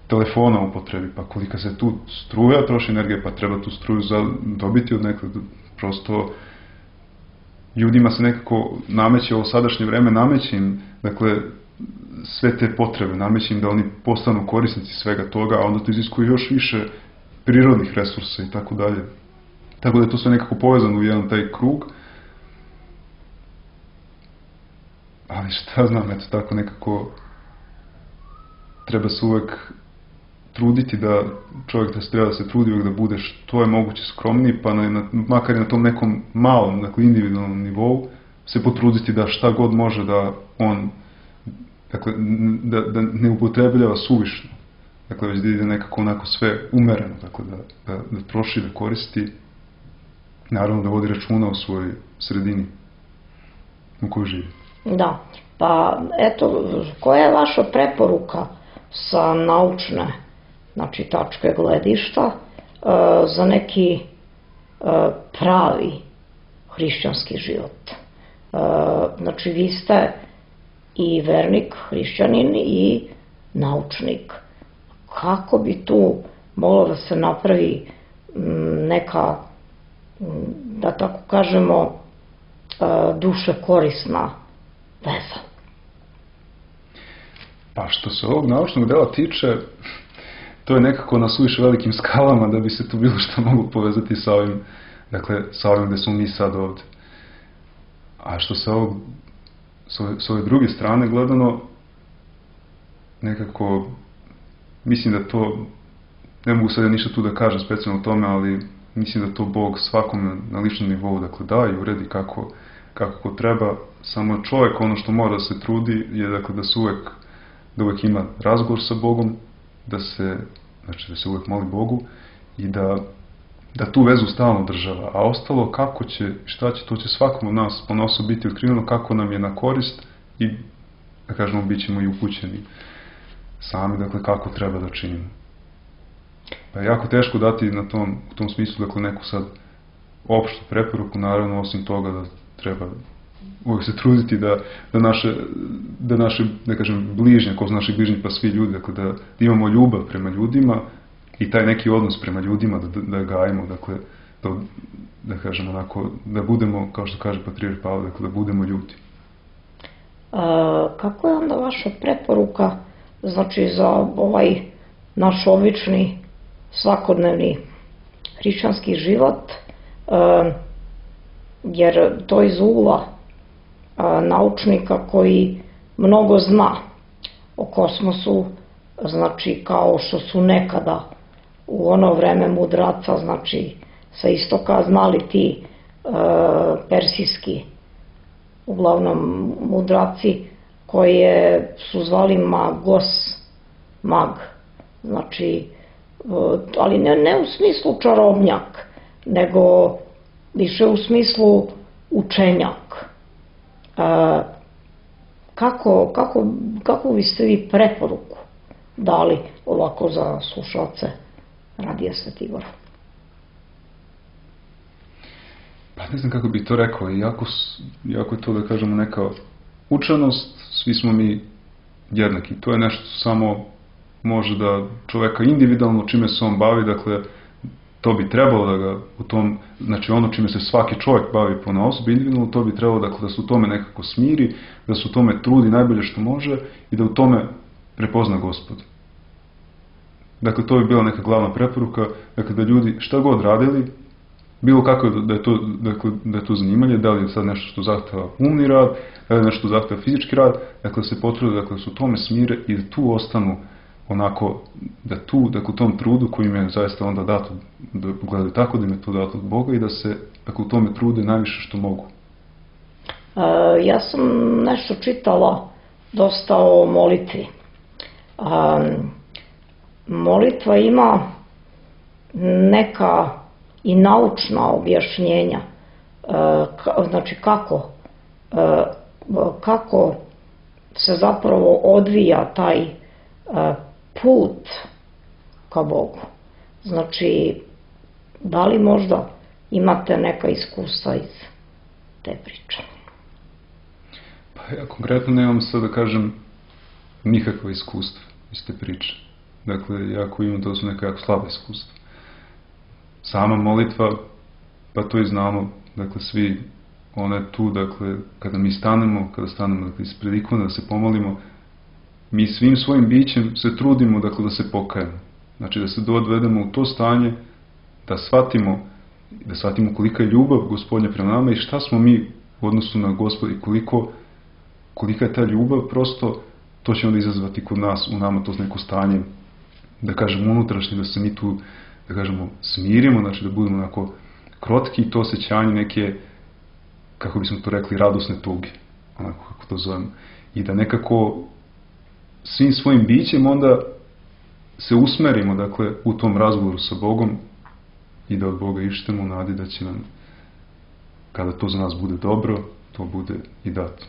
telefona upotrebi, pa kolika se tu struja troši energije, pa treba tu struju za dobiti od nekog, prosto ljudima se nekako nameće ovo sadašnje vreme, nameće im, dakle, sve te potrebe, nameće im da oni postanu korisnici svega toga, a onda to iziskuje još više prirodnih resursa i tako dalje. Tako da je to sve nekako povezano u jedan taj krug. Ali šta znam, eto tako nekako treba se uvek truditi da čovjek da se treba da se trudi uvek da bude što je moguće skromniji, pa na, na, makar i na tom nekom malom, dakle individualnom nivou, se potruditi da šta god može da on, dakle, da, da ne upotrebljava suvišno. Dakle, već da ide nekako onako sve umereno, dakle, da, da, da troši, da koristi, naravno da vodi računa o svojoj sredini u kojoj živi. Da, pa eto, koja je vaša preporuka sa naučne, znači, tačke gledišta za neki pravi hrišćanski život? Znači, vi ste i vernik, hrišćanin i naučnik. Kako bi tu moglo da se napravi neka, da tako kažemo, duše korisna veza? Pa što se ovog naučnog dela tiče, to je nekako na suviše velikim skalama da bi se tu bilo što moglo povezati sa ovim, dakle, sa ovim gde smo mi sad ovde. A što se ovog, s ove druge strane gledano, nekako, mislim da to, ne mogu sad ništa tu da kažem specijalno o tome, ali mislim da to Bog svakom na ličnom nivou, dakle, da i uredi kako, kako treba. Samo čovjek, ono što mora da se trudi je, dakle, da se uvek, da uvek ima razgovor sa Bogom, da se, znači, da se uvek moli Bogu i da, da tu vezu stalno država. A ostalo kako će, šta će, to će svakom od nas ponosno biti otkriveno kako nam je na korist i, da kažemo, bit ćemo i upućeni sami, dakle, kako treba da činimo. Pa je jako teško dati na tom, u tom smislu, dakle, neku sad opštu preporuku, naravno, osim toga da treba uvijek se truditi da, da naše, da naše, ne kažem, bližnje, ko su naši bližnji, pa svi ljudi, dakle, da, da imamo ljubav prema ljudima i taj neki odnos prema ljudima, da, da gajimo, dakle, da, da kažem, onako, da budemo, kao što kaže Patrijarh Pavle, dakle, da budemo ljudi. A, kako je onda vaša preporuka, znači, za ovaj naš obični, svakodnevni hrišćanski život? A, jer to iz ugla naučnika koji mnogo zna o kosmosu, znači kao što su nekada u ono vreme mudraca, znači sa istoka znali ti e, persijski uglavnom mudraci koje su zvali magos, mag, znači, ali ne, ne u smislu čarobnjak, nego više u smislu učenjak. E, kako, kako, kako biste vi preporuku dali ovako za slušalce Radija Sveti Igor? Pa ne znam kako bi to rekao, jako, jako je to da kažemo neka učenost, svi smo mi jednaki, to je nešto samo može da čoveka individualno čime se on bavi, dakle to bi trebalo da ga u tom, znači ono čime se svaki čovjek bavi ponaosob individualno, to bi trebalo dakle, da se u tome nekako smiri, da se u tome trudi najbolje što može i da u tome prepozna Gospod. Dakle, to bi bila neka glavna preporuka, dakle da ljudi šta god radili, bilo kako da je to, dakle, da je to zanimanje, da li je sad nešto što zahteva umni rad, da li je nešto što zahteva fizički rad, dakle se potrude dakle, da se u tome smire i da tu ostanu onako, da tu, dakle u tom trudu koji im je zaista onda dato, da gledaju tako da im je to dato od Boga i da se dakle, u tome trude najviše što mogu. E, ja sam nešto čitala dosta o molitvi. E, molitva ima neka i naučna objašnjenja, znači kako, kako se zapravo odvija taj put ka Bogu. Znači, da li možda imate neka iskustva iz te priče? Pa ja konkretno nemam sad da kažem nikakva iskustva iz te priče. Dakle, jako imam, to su neka jako slaba iskustva. Sama molitva, pa to i znamo, dakle svi, ona je tu, dakle, kada mi stanemo, kada stanemo dakle, ispred ikone, da se pomolimo, mi svim svojim bićem se trudimo, dakle, da se pokajemo. Znači da se dovedemo u to stanje, da shvatimo, da shvatimo kolika je ljubav Gospodnja prema nama i šta smo mi u odnosu na Gospoda i koliko, kolika je ta ljubav, prosto to će onda izazvati kod nas, u nama to neko stanje, da kažemo unutrašnje, da se mi tu da kažemo, smirimo, znači da budemo onako krotki i to osjećanje neke, kako bismo to rekli, radosne tuge, onako kako to zovemo. I da nekako svim svojim bićem onda se usmerimo, dakle, u tom razgovoru sa Bogom i da od Boga ištemo u nadi da će nam, kada to za nas bude dobro, to bude i dato.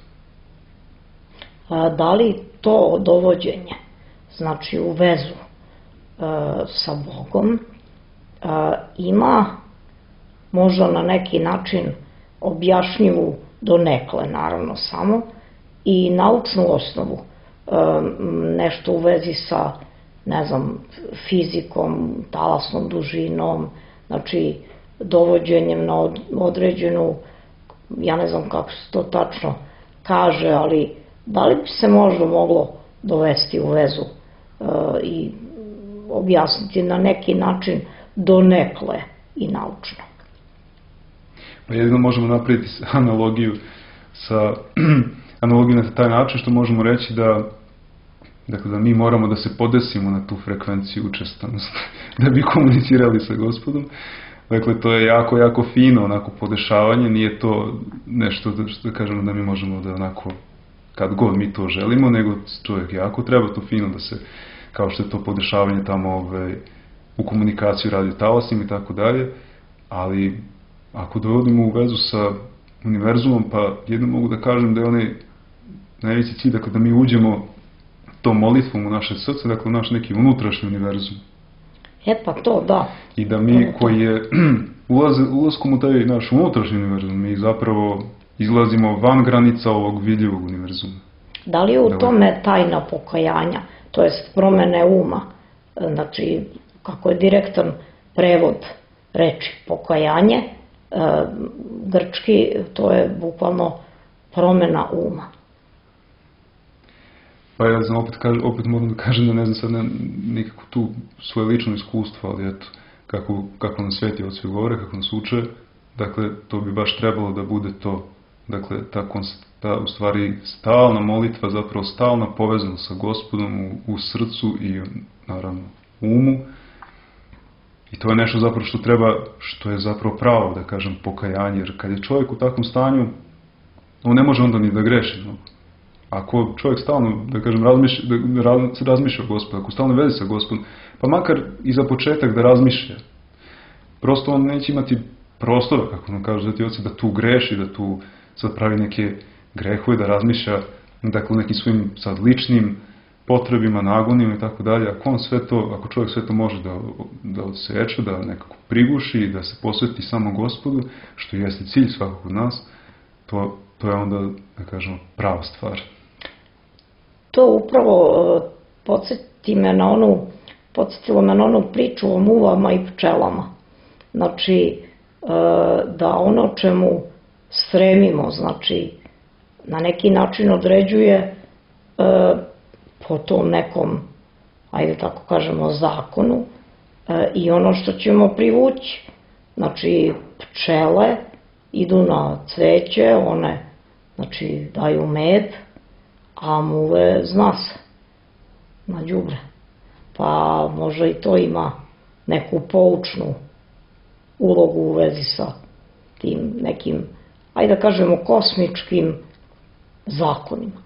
A, da li to dovođenje, znači u vezu e, sa Bogom, Uh, ima možda na neki način objašnjivu donekle naravno samo i naučnu osnovu, uh, nešto u vezi sa ne znam fizikom, talasnom dužinom, znači dovođenjem na od, određenu, ja ne znam kako se to tačno kaže, ali da li bi se možda moglo dovesti u vezu uh, i objasniti na neki način donekle i naučno. Pa jedino možemo napraviti analogiju sa analogiju na taj način što možemo reći da dakle da mi moramo da se podesimo na tu frekvenciju učestanosti da bi komunicirali sa Gospodom. Dakle, to je jako, jako fino onako podešavanje, nije to nešto da, što da kažemo da mi možemo da onako kad god mi to želimo, nego čovjek jako treba to fino da se, kao što je to podešavanje tamo ovaj, u komunikaciju radio talasima i tako dalje, ali ako dovodimo u vezu sa univerzumom, pa jedno mogu da kažem da je onaj najveći cilj, dakle da mi uđemo tom molitvom u naše srce, dakle u naš neki unutrašnji univerzum. E pa to, da. I da mi koji je ulaz, ulazkom u taj naš unutrašnji univerzum, mi zapravo izlazimo van granica ovog vidljivog univerzuma. Da li je u tome tajna pokajanja, to jest promene uma, znači kako je direktan prevod reči pokajanje, e, grčki, to je bukvalno promena uma. Pa ja znam, opet, kažem, opet moram da kažem da ne znam sad ne, nikako tu svoje lično iskustvo, ali eto, kako, kako nam sveti oci govore, kako nas uče, dakle, to bi baš trebalo da bude to, dakle, ta, ta u stvari stalna molitva, zapravo stalna povezanost sa Gospodom u, u srcu i, naravno, umu. I to je nešto zapravo što treba, što je zapravo pravo, da kažem, pokajanje, jer kad je čovjek u takvom stanju, on ne može onda ni da greši. No. Ako čovjek stalno, da kažem, razmišlja, da razmišlja o Gospodu, ako stalno vezi sa Gospodom, pa makar i za početak da razmišlja, prosto on neće imati prostora, kako nam kažu Sveti oci, da tu greši, da tu sad pravi neke grehove, da razmišlja, dakle, nekim svojim sad ličnim potrebima, nagonima i tako dalje. Ako on sve to, ako čovjek sve to može da, da odseče, da nekako priguši, da se posveti samo Gospodu, što jeste cilj svakog od nas, to, to je onda, da kažemo, prava stvar. To upravo podsjeti me na onu, podsjetilo me na onu priču o muvama i pčelama. Znači, da ono čemu stremimo, znači, na neki način određuje po tom nekom, ajde tako kažemo, zakonu i ono što ćemo privući. Znači, pčele idu na cveće, one, znači, daju med, a muve zna se, na đubre. Pa možda i to ima neku poučnu ulogu u vezi sa tim nekim, ajde da kažemo, kosmičkim zakonima.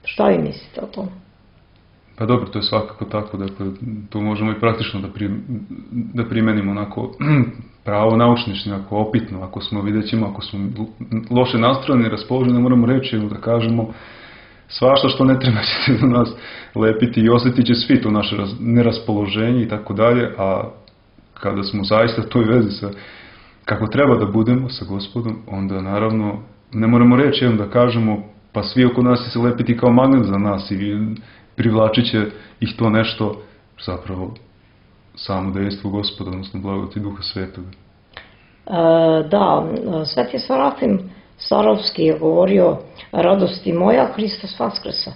Šta vi mislite o tome? Pa dobro, to je svakako tako, dakle, to možemo i praktično da, pri, da primenimo onako pravo naučnični, ako opitno, ako smo, vidjet ćemo, ako smo loše nastrojeni, raspoloženi, moramo reći, da kažemo, svašta što ne treba će se do nas lepiti i osjetit će svi to naše neraspoloženje i tako dalje, a kada smo zaista u toj vezi sa, kako treba da budemo sa Gospodom, onda naravno ne moramo reći, jedno da kažemo, pa svi oko nas će se lepiti kao magnet za nas i privlačit će ih to nešto, zapravo samo dejstvo Gospoda, odnosno blagodati Duha Svetoga. E, da, Sveti Serafim Sarovski je govorio: radosti moja, Hristos vaskresa.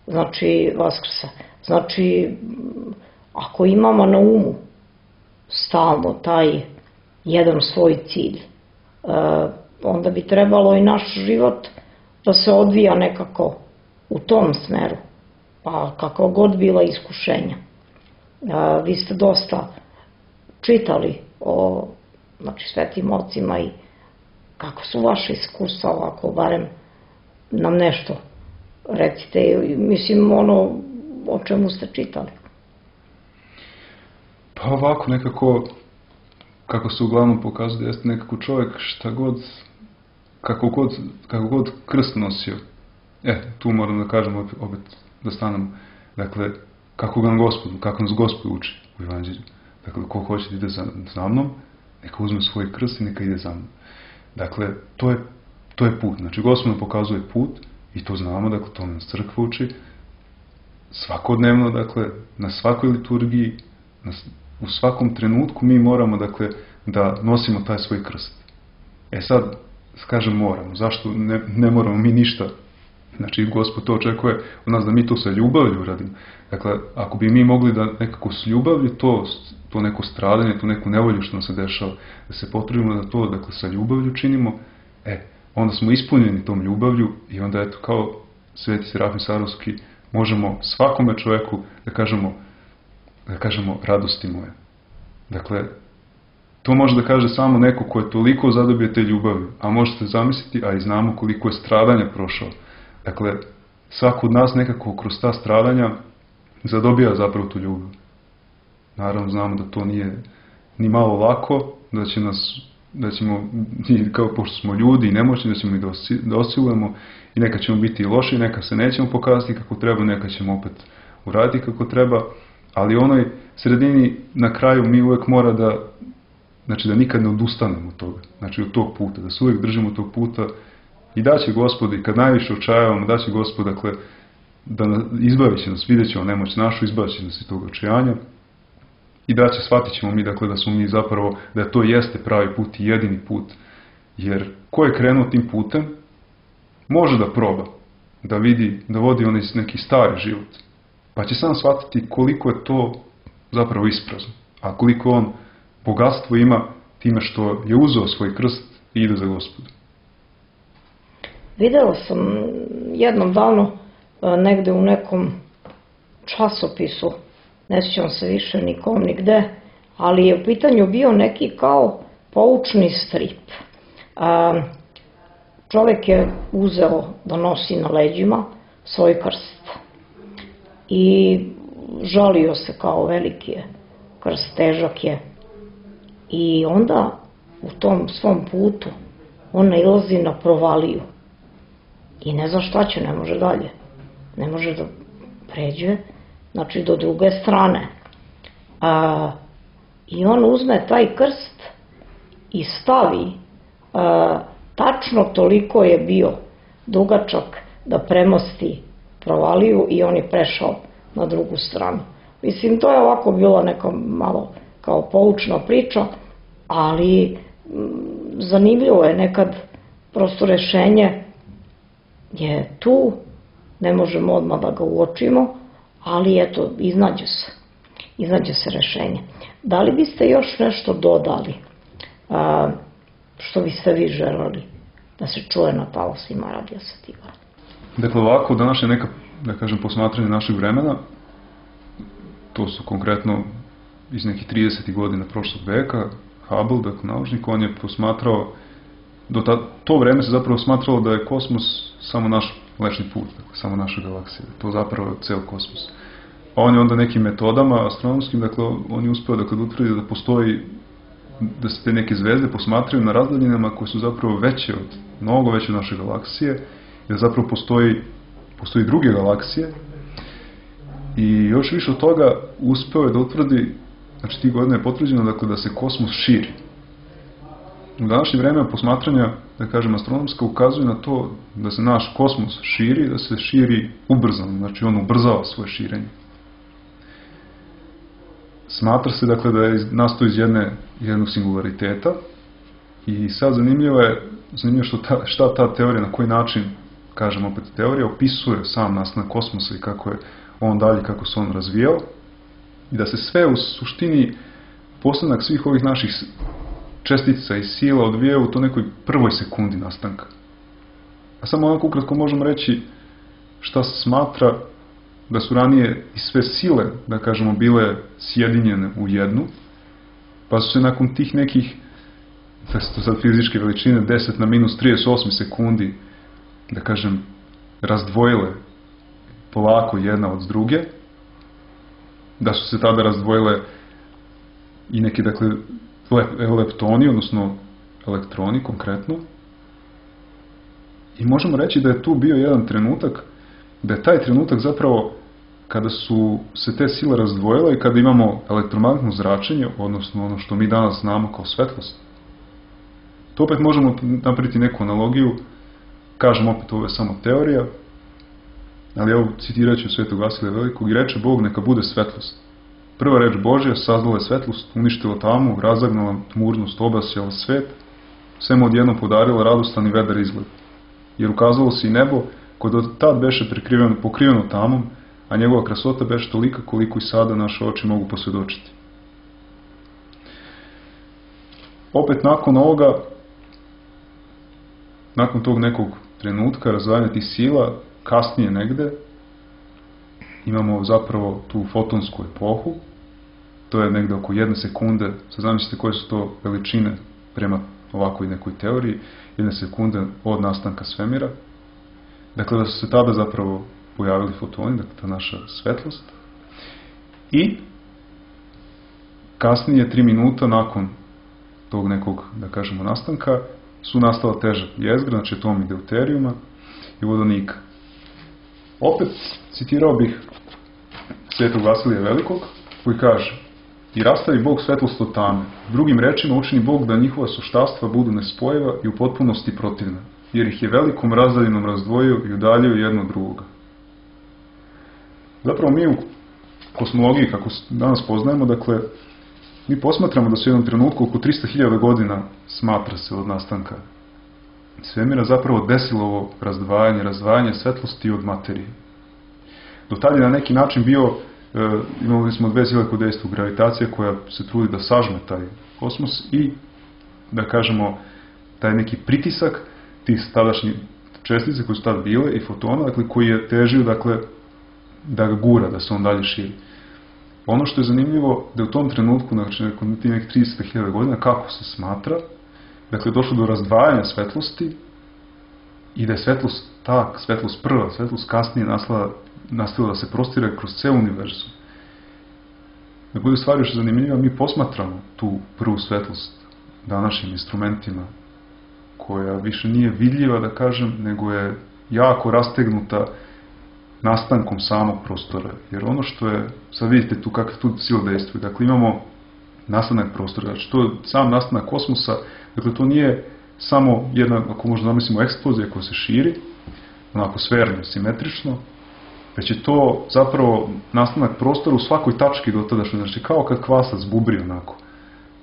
Znači, vaskresa. Znači, ako imamo na umu stalno taj jedan svoj cilj, e, onda bi trebalo i naš život da se odvija nekako u tom smeru, pa kako god bila iskušenja. E, vi ste dosta čitali o, znači, svetim ocima i kako su vaše iskustva, ovako, barem nam nešto recite, mislim, ono o čemu ste čitali. Pa ovako, nekako, kako se uglavnom pokazuje, jeste nekako čovjek šta god, kako god, kako god krst nosio. E, tu moram da kažem, opet da stanem, dakle, kako ga Gospod, kako nas Gospod uči u Evanđelju. Dakle, ko hoće da ide za, za mnom, neka uzme svoj krst i neka ide za mnom. Dakle, to je, to je put. Znači, Gospod nam pokazuje put i to znamo, dakle, to nas crkva uči. Svakodnevno, dakle, na svakoj liturgiji, na, u svakom trenutku mi moramo, dakle, da nosimo taj svoj krst. E sad, kažem moramo. Zašto ne, ne moramo mi ništa? Znači, Gospod to očekuje od nas da mi to sa ljubavlju radimo. Dakle, ako bi mi mogli da nekako s ljubavlju to, to neko stradanje, to neku nevolju što nam se dešava, da se potrudimo da to, dakle, sa ljubavlju činimo, e, onda smo ispunjeni tom ljubavlju i onda, eto, kao Sveti Serafim Sarovski, možemo svakome čovjeku da kažemo, da kažemo radosti moje. Dakle, to može da kaže samo neko ko je toliko zadobio te ljubavi, a možete zamisliti, a i znamo koliko je stradanja prošao. Dakle, svako od nas nekako kroz ta stradanja zadobija zapravo tu ljubav. Naravno, znamo da to nije ni malo lako, da će nas, da ćemo, kao pošto smo ljudi i nemoćni, da ćemo i da osilujemo i neka ćemo biti loši, neka se nećemo pokazati kako treba, neka ćemo opet uraditi kako treba, ali u onoj sredini na kraju mi uvek mora da, znači da nikad ne odustanemo od toga, znači od tog puta, da se uvek držimo tog puta i daće Gospod, i kad najviše očajavamo, daće Gospod, dakle, da izbavit će nas, vidjet ćemo nemoć našu, izbavit će nas iz tog očajanja i da će, shvatit ćemo mi, dakle, da smo mi zapravo, da to jeste pravi put i jedini put, jer ko je krenuo tim putem, može da proba, da vidi, da vodi onaj neki stari život, pa će sam shvatiti koliko je to zapravo isprazno, a koliko on bogatstvo ima time što je uzeo svoj krst i ide za Gospoda. Videla sam jednom davno negde u nekom časopisu, ne sjećam se više nikom nigde, ali je u pitanju bio neki kao poučni strip. Čovjek je uzeo da nosi na leđima svoj krst i žalio se kao veliki je krst, težak je, i onda u tom svom putu on nailazi na provaliju i ne zna šta će, ne može dalje, ne može da pređe, znači do druge strane. A, i on uzme taj krst i stavi, a, tačno toliko je bio dugačak da premosti provaliju i on je prešao na drugu stranu. Mislim, to je ovako bila neka malo kao poučna priča, ali m, zanimljivo je nekad, prosto rešenje je tu, ne možemo odmah da ga uočimo, ali eto, iznađe se, iznađe se rešenje. Da li biste još nešto dodali, a, što biste vi želeli da se čuje na talasima Radija Sativa? Dakle, ovako, današnje neka, da kažem, posmatranje našeg vremena, to su konkretno iz nekih tridesetih godina prošlog veka, Hubble, dakle, naučnik, on je posmatrao, do ta, to vreme se zapravo smatralo da je kosmos samo naš Mlečni put, dakle, samo naša galaksija, to zapravo je ceo kosmos. A on je onda nekim metodama astronomskim, dakle, on je uspeo dakle, da utvrdi da postoji, da se te neke zvezde posmatraju na razdaljinama koje su zapravo veće od, mnogo veće od naše galaksije, i da zapravo postoji, postoji druge galaksije. I još više od toga uspeo je da utvrdi, znači tih godina je potvrđeno, dakle, da se kosmos širi. U današnje vreme posmatranja, da kažem, astronomska ukazuje na to da se naš kosmos širi, da se širi ubrzano, znači on ubrzava svoje širenje. Smatra se, dakle, da je nastao iz jedne, jednog singulariteta i sad zanimljivo je, zanimljivo što ta, šta ta teorija, na koji način, kažem opet, teorija opisuje sam nastanak kosmosa i kako je on dalje, kako se on razvijao, i da se sve u suštini postanak svih ovih naših čestica i sila odvijaju u to nekoj prvoj sekundi nastanka. A samo onako ukratko možemo reći šta se smatra da su ranije i sve sile, da kažemo, bile sjedinjene u jednu, pa su se nakon tih nekih, da su to sad fizičke veličine, deset na minus trideset osam sekundi, da kažem, razdvojile polako jedna od druge, da su se tada razdvojile i neki, dakle, leptoni, odnosno elektroni konkretno. I možemo reći da je tu bio jedan trenutak, da je taj trenutak zapravo kada su se te sile razdvojile i kada imamo elektromagnetno zračenje, odnosno ono što mi danas znamo kao svetlost. To opet možemo napraviti neku analogiju, kažem opet, ovo je samo teorija, ali evo citirat ću Svetog Vasilija Velikog, i reče Bog neka bude svetlost. Prva reč Božja sazdala je svetlost, uništila tamu, razagnala tmurnost, obasjala svet, sve mu odjednom podarila radostan i vedar izgled. Jer ukazalo se i nebo, koje do tad beše prekriveno, pokriveno tamom, a njegova krasota beše tolika koliko i sada naše oči mogu posvjedočiti. Opet nakon ovoga, nakon tog nekog trenutka razdvajanja tih sila, kasnije negde, imamo zapravo tu fotonsku epohu, to je negde oko jedne sekunde, sad zamislite koje su to veličine prema ovakvoj nekoj teoriji, jedne sekunde od nastanka svemira. Dakle, da su se tada zapravo pojavili fotoni, dakle ta naša svetlost. I kasnije, tri minuta nakon tog nekog, da kažemo, nastanka, su nastala teža jezgra, znači atomi deuterijuma i vodonika. Opet citirao bih Svetog Vasilija Velikog, koji kaže: i rastavi Bog svetlost od tame. Drugim rečima učini Bog da njihova suštastva budu nespojiva i u potpunosti protivna, jer ih je velikom razdaljinom razdvojio i udaljio jedno od drugoga. Zapravo mi u kosmologiji, kako danas poznajemo, dakle, mi posmatramo da se u jednom trenutku oko trista hiljada godina, smatra se od nastanka svemira, zapravo desilo ovo razdvajanje, razdvajanje svetlosti od materije. Do tada je na neki način bio, e, imali smo dve sile kod dejstvu, gravitacija koja se trudi da sažme taj kosmos i da kažemo, taj neki pritisak tih tadašnjih čestica koje su tada bile i fotona, dakle, koji je težio, dakle, da ga gura, da se on dalje širi. Ono što je zanimljivo, da u tom trenutku, znači, nakon tih nekih trideset hiljada godina, kako se smatra, dakle, došlo do razdvajanja svetlosti i da je svetlost, ta svetlost prva, svetlost kasnije nastavila da se prostire kroz ceo univerzum. Da bude stvar još zanimljiva, mi posmatramo tu prvu svetlost današnjim instrumentima, koja više nije vidljiva, da kažem, nego je jako rastegnuta nastankom samog prostora. Jer ono što je, sad vidite tu kakve tu sile dejstvuju, dakle imamo nastanak prostora, znači to je sam nastanak kosmosa, dakle to nije samo jedna, ako možda zamislimo, eksplozija koja se širi, onako sferno, simetrično, već je to zapravo nastanak prostora u svakoj tački do tada, znači kao kad kvasac bubri onako.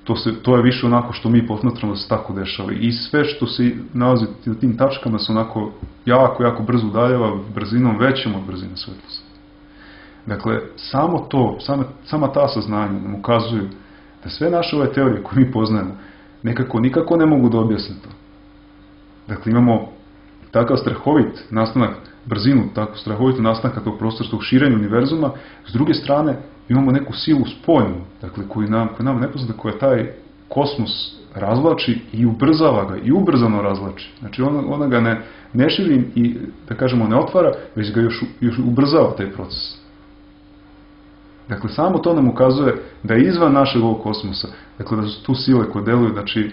To, se, to je više onako što mi posmatramo da se tako dešava. I sve što se nalazi u tim tačkama se onako jako, jako brzo udaljava brzinom većom od brzine svetlosti. Dakle, samo to, sama, sama ta saznanja nam ukazuju da sve naše ove teorije koje mi poznajemo nekako, nikako ne mogu da objasne to. Dakle, imamo takav strahovit nastanak, brzinu, tako strahovito nastanka tog prostora, tog širenja univerzuma. S druge strane, imamo neku silu spoljnu, dakle, koju nam, koju nam ne poznata, koja taj kosmos razvlači i ubrzava ga, i ubrzano razvlači. Znači, ona, ona ga ne, ne širi i, da kažemo, ne otvara, već ga još, još ubrzava taj proces. Dakle, samo to nam ukazuje da je izvan našeg ovog kosmosa, dakle, da su tu sile koje deluju, znači,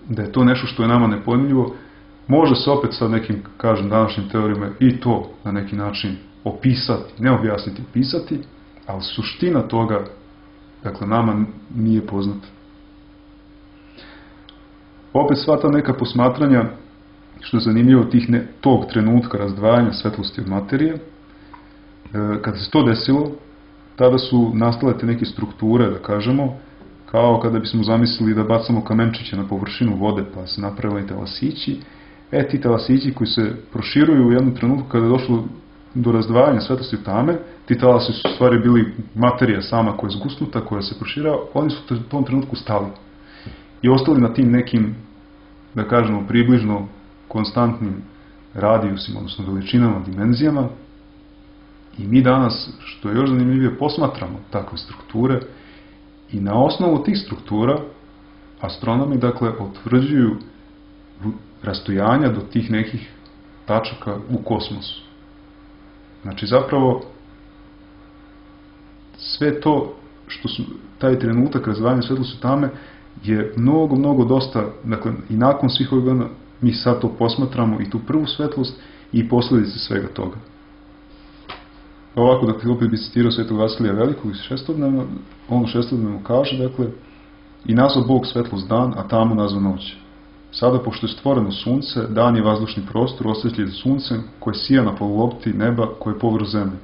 da je to nešto što je nama nepojmljivo. Može se opet sa nekim, kažem, današnjim teorijama i to na neki način opisati, ne objasniti, opisati, ali suština toga, dakle, nama nije poznata. Opet sva ta neka posmatranja, što je zanimljivo, tih ne, tog trenutka razdvajanja svetlosti od materije, e, kada se to desilo, tada su nastale te neke strukture, da kažemo, kao kada bismo zamislili da bacamo kamenčiće na površinu vode, pa se napravili talasići. E, ti talasići koji se proširuju u jednom trenutku kada je došlo do razdvajanja svetlosti od tame, ti talasi su u stvari bili materija sama koja je zgusnuta, koja se proširava, oni su u tom trenutku stali. I ostali na tim nekim, da kažemo, približno konstantnim radijusima, odnosno veličinama, dimenzijama. I mi danas, što je još zanimljivije, posmatramo takve strukture i na osnovu tih struktura astronomi, dakle, utvrđuju rastojanja do tih nekih tačaka u kosmosu. Znači, zapravo, sve to što su, taj trenutak razdvajanja svetlosti od tame je mnogo, mnogo dosta, dakle, i nakon svih ovih godina mi sad to posmatramo i tu prvu svetlost i posljedice svega toga. Ovako, dakle, opet bi citirao Svetog Vasilija Velikog iz šestodnevno, on u šestodnevno kaže, dakle, i nazva Bog svetlost dan, a tamu nazva noć. Sada, pošto je stvoreno sunce, dan je vazdušni prostor osvetljen suncem koje sija na polulopti neba koje je povrh zemlje,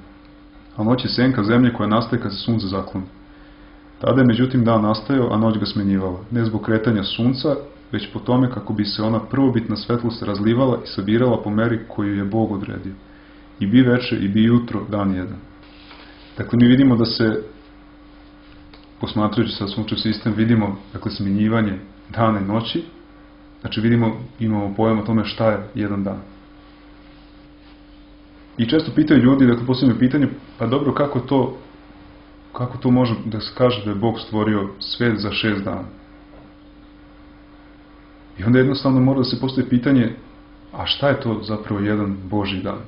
a noć je senka zemlje koja nastaje kad se sunce zakloni. Tada je međutim dan nastajao, a noć ga smenjivala, ne zbog kretanja sunca, već po tome kako bi se ona prvobitna svetlost razlivala i sabirala po meri koju je Bog odredio. I bi veče, i bi jutro, dan jedan. Dakle, mi vidimo da se, posmatrajući sa sunčev sistem, vidimo, dakle, smenjivanje dana i noći. Znači, vidimo, imamo pojam o tome šta je jedan dan. I često pitaju ljudi, dakle, posljedno pitanje, pa dobro, kako to, kako to može da se kaže da je Bog stvorio svet za šest dana? I onda jednostavno mora da se postavi pitanje, a šta je to zapravo jedan Božji dan?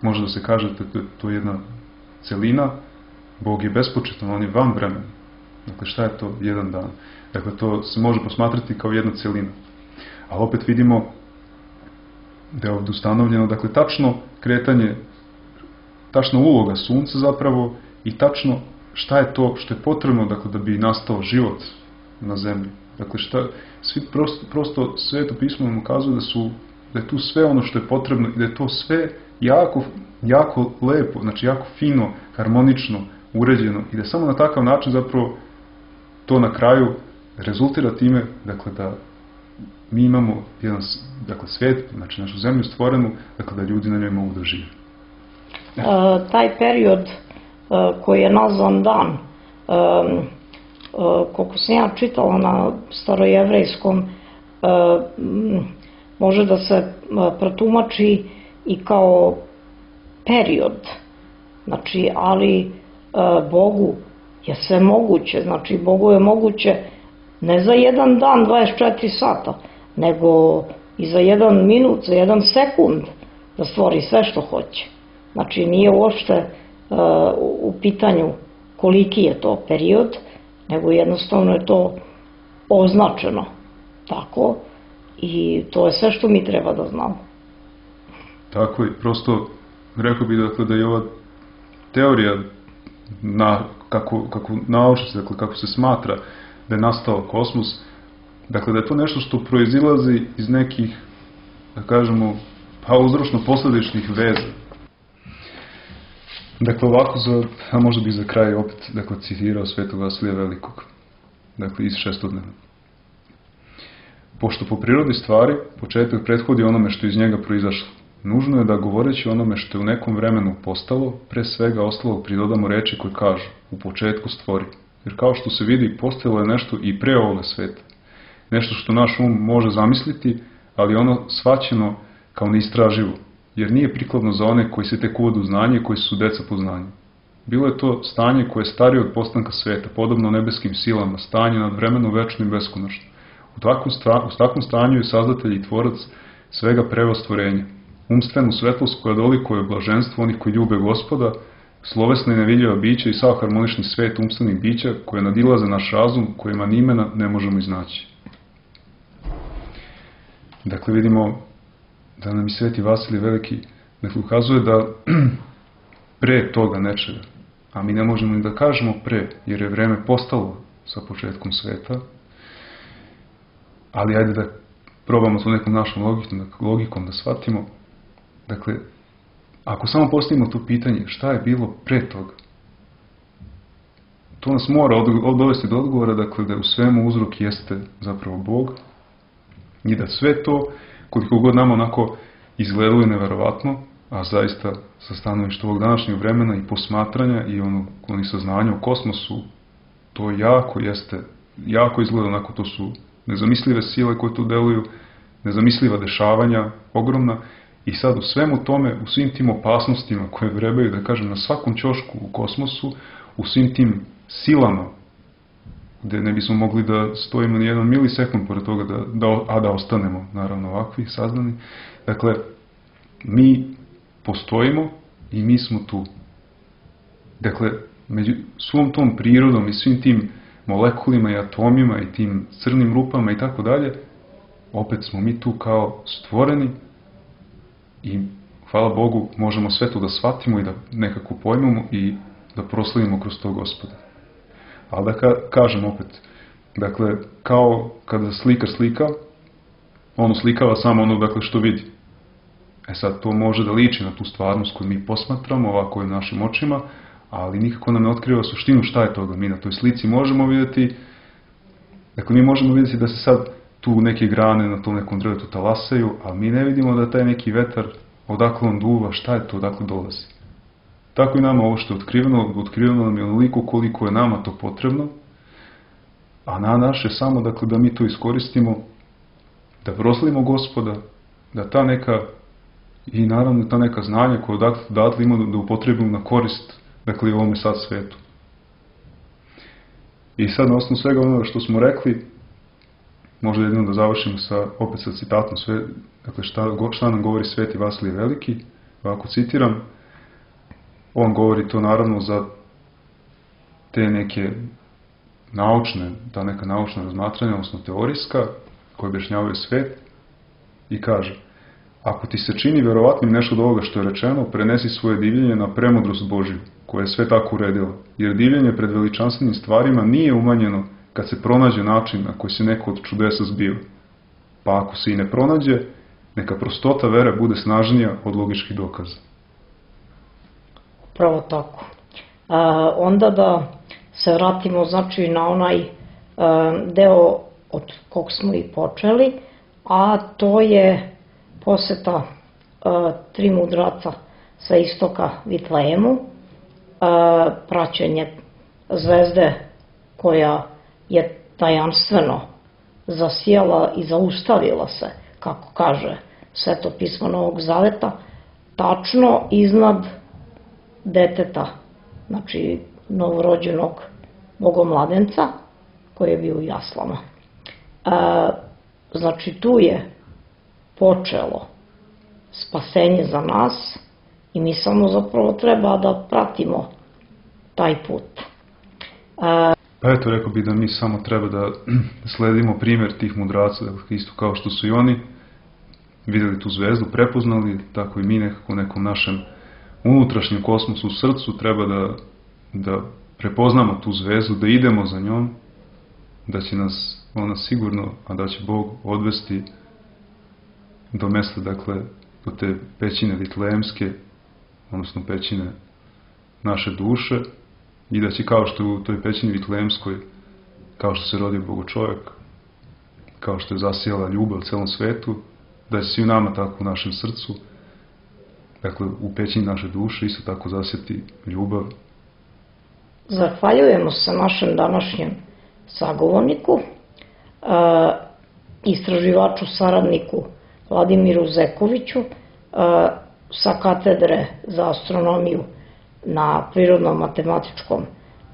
Može da se kaže da to je jedna celina, Bog je bespočetan, on je van vremena. Dakle, šta je to jedan dan? Dakle, to se može posmatrati kao jedna celina. Ali opet vidimo da je ovdje ustanovljeno, dakle, tačno kretanje, tačna uloga sunca zapravo i tačno šta je to što je potrebno, dakle, da bi nastao život na zemlji. Dakle, šta, svi prosto, prosto Sveto pismo nam ukazuje da, su, da je tu sve ono što je potrebno i da je to sve jako, jako lepo, znači jako fino, harmonično, uređeno i da samo na takav način zapravo to na kraju rezultira time, dakle, da mi imamo jedan, dakle, svijet, znači našu zemlju stvorenu, dakle, da ljudi na njoj mogu da žive. E, taj period e, koji je nazvan dan, e, koliko sam ja čitala na starojevrejskom, može da se protumači i kao period. Znači, ali Bogu je sve moguće, znači Bogu je moguće ne za jedan dan dvadeset četiri sata, nego i za jedan minut, za jedan sekund da stvori sve što hoće. Znači, nije uopšte u pitanju koliki je to period, nego jednostavno je to označeno tako i to je sve što mi treba da znamo. Tako je, prosto rekao bih dakle, da je ova teorija na, kako, kako nauči, dakle, kako se smatra da je nastao kosmos, dakle da je to nešto što proizilazi iz nekih, da kažemo, pa uzročno-posledičnih veza. Dakle, ovako, za, a možda bih za kraj opet dakle, citirao Svetog Vasilija Velikog, dakle iz šestodnevna. Pošto po prirodi stvari početak prethodi onome što iz njega proizašlo, nužno je da govoreći onome što je u nekom vremenu postalo, pre svega ostalog pridodamo reči koje kažu u početku stvori. Jer kao što se vidi, postojalo je nešto i pre ovoga sveta. Nešto što naš um može zamisliti, ali ono shvaćeno kao neistraživo, jer nije prikladno za one koji se tek uvode u znanje i koji su deca po znanju. Bilo je to stanje koje je starije od postanka sveta, podobno nebeskim silama, stanje nad vremenom večno i beskonačno. U takvom, sta, u takvom stanju je sazdatelj i tvorac svega preva stvorenja. Umstvenu svetlost koja dolikuje blaženstvo onih koji ljube Gospoda, slovesna i nevidljiva bića i sav harmonični svet umstvenih bića koje nadilaze naš razum, kojima ni imena ne možemo iznaći. Dakle, vidimo da nam i Sveti Vasilij Veliki dakle, ukazuje da pre toga nečega, a mi ne možemo ni da kažemo pre, jer je vreme postalo sa početkom sveta, ali ajde da probamo to nekom našom logikom, logikom da shvatimo. Dakle, ako samo postavimo to pitanje šta je bilo pre toga, to nas mora dovesti do odgovora, dakle, da u svemu uzrok jeste zapravo Bog i da sve to, koliko god nama onako izgledalo neverovatno, a zaista sa stanovišta ovog današnjeg vremena i posmatranja i ono, oni saznanja o kosmosu, to jako jeste, jako izgleda onako, to su nezamislive sile koje tu deluju, nezamisliva dešavanja, ogromna, i sad u svemu tome, u svim tim opasnostima koje vrebaju, da kažem, na svakom ćošku u kosmosu, u svim tim silama, gde ne bismo mogli da stojimo ni jedan milisekund pored toga, da, da, a da ostanemo, naravno, ovakvi saznani. Dakle, mi postojimo i mi smo tu. Dakle, među svom tom prirodom i svim tim molekulima i atomima i tim crnim rupama i tako dalje, opet smo mi tu kao stvoreni i, hvala Bogu, možemo sve to da shvatimo i da nekako pojmemo i da proslavimo kroz to Gospoda. Ali da ka, kažem opet, dakle, kao kada slikar slika, ono slikava samo ono, dakle, što vidi. E sad, to može da liči na tu stvarnost koju mi posmatramo, ovako je našim očima, ali nikako nam ne otkriva suštinu šta je toga. Mi na toj slici možemo vidjeti, dakle, mi možemo vidjeti da se sad tu neke grane na tom nekom drvetu talasaju, a mi ne vidimo da taj neki vetar, odakle on duva, šta je to, odakle dolazi. Tako i nama ovo što je otkriveno, otkriveno nam je onoliko koliko je nama to potrebno, a na naše samo, dakle, da mi to iskoristimo, da proslavimo Gospoda, da ta neka, i naravno ta neka znanja koja odatle, odatle imamo da upotrebimo na korist, dakle, i ovome sad svetu. I sad, na osnovu svega onoga što smo rekli, možda jedino da završimo sa, opet sa citatom, sve, dakle, šta, šta nam govori Sveti Vasilij Veliki, ovako citiram. On govori to naravno za te neke naučne, ta neka naučna razmatranja, odnosno teorijska, koje objašnjavaju svet, i kaže: ako ti se čini verovatnim nešto od ovoga što je rečeno, prenesi svoje divljenje na premudrost Božju, koja je sve tako uredila, jer divljenje pred veličanstvenim stvarima nije umanjeno kad se pronađe način na koji se neko od čudesa zbiva. Pa ako se i ne pronađe, neka prostota vere bude snažnija od logičkih dokaza. Pravo tako. E, onda da se vratimo, znači, na onaj e, deo od kog smo i počeli, a to je poseta e, tri mudraca sa istoka Vitlejemu, e, praćenje zvezde koja je tajanstveno zasijala i zaustavila se, kako kaže Sveto pismo Novog Zaveta, tačno iznad deteta, znači novorođenog bogomladenca koji je bio u jaslama. E, znači tu je počelo spasenje za nas i mi samo zapravo treba da pratimo taj put. E, Pa eto, rekao bih da mi samo treba da sledimo primjer tih mudraca, dakle, isto kao što su i oni vidjeli tu zvezdu, prepoznali, tako i mi nekako u nekom našem unutrašnjem kosmosu u srcu treba da, da prepoznamo tu zvezdu, da idemo za njom, da će nas ona sigurno, a da će Bog odvesti do mesta, dakle, do te pećine Vitlejemske, odnosno pećine naše duše, i da će kao što u toj pećini Vitlejemskoj, kao što se rodio Bogočovjek, kao što je zasijala ljubav celom svetu, da će svi u nama tako u našem srcu, dakle u pećini naše duše, isto tako zasjeti ljubav. Zahvaljujemo se našem današnjem sagovorniku, istraživaču, saradniku Vladimiru Zekoviću sa katedre za astronomiju na Prirodno-matematičkom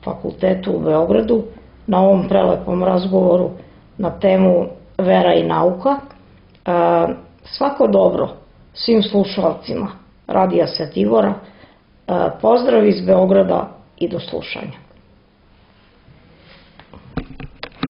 fakultetu u Beogradu, na ovom prelepom razgovoru na temu vera i nauka. Svako dobro svim slušalcima Radija Svetibora, pozdrav iz Beograda i do slušanja.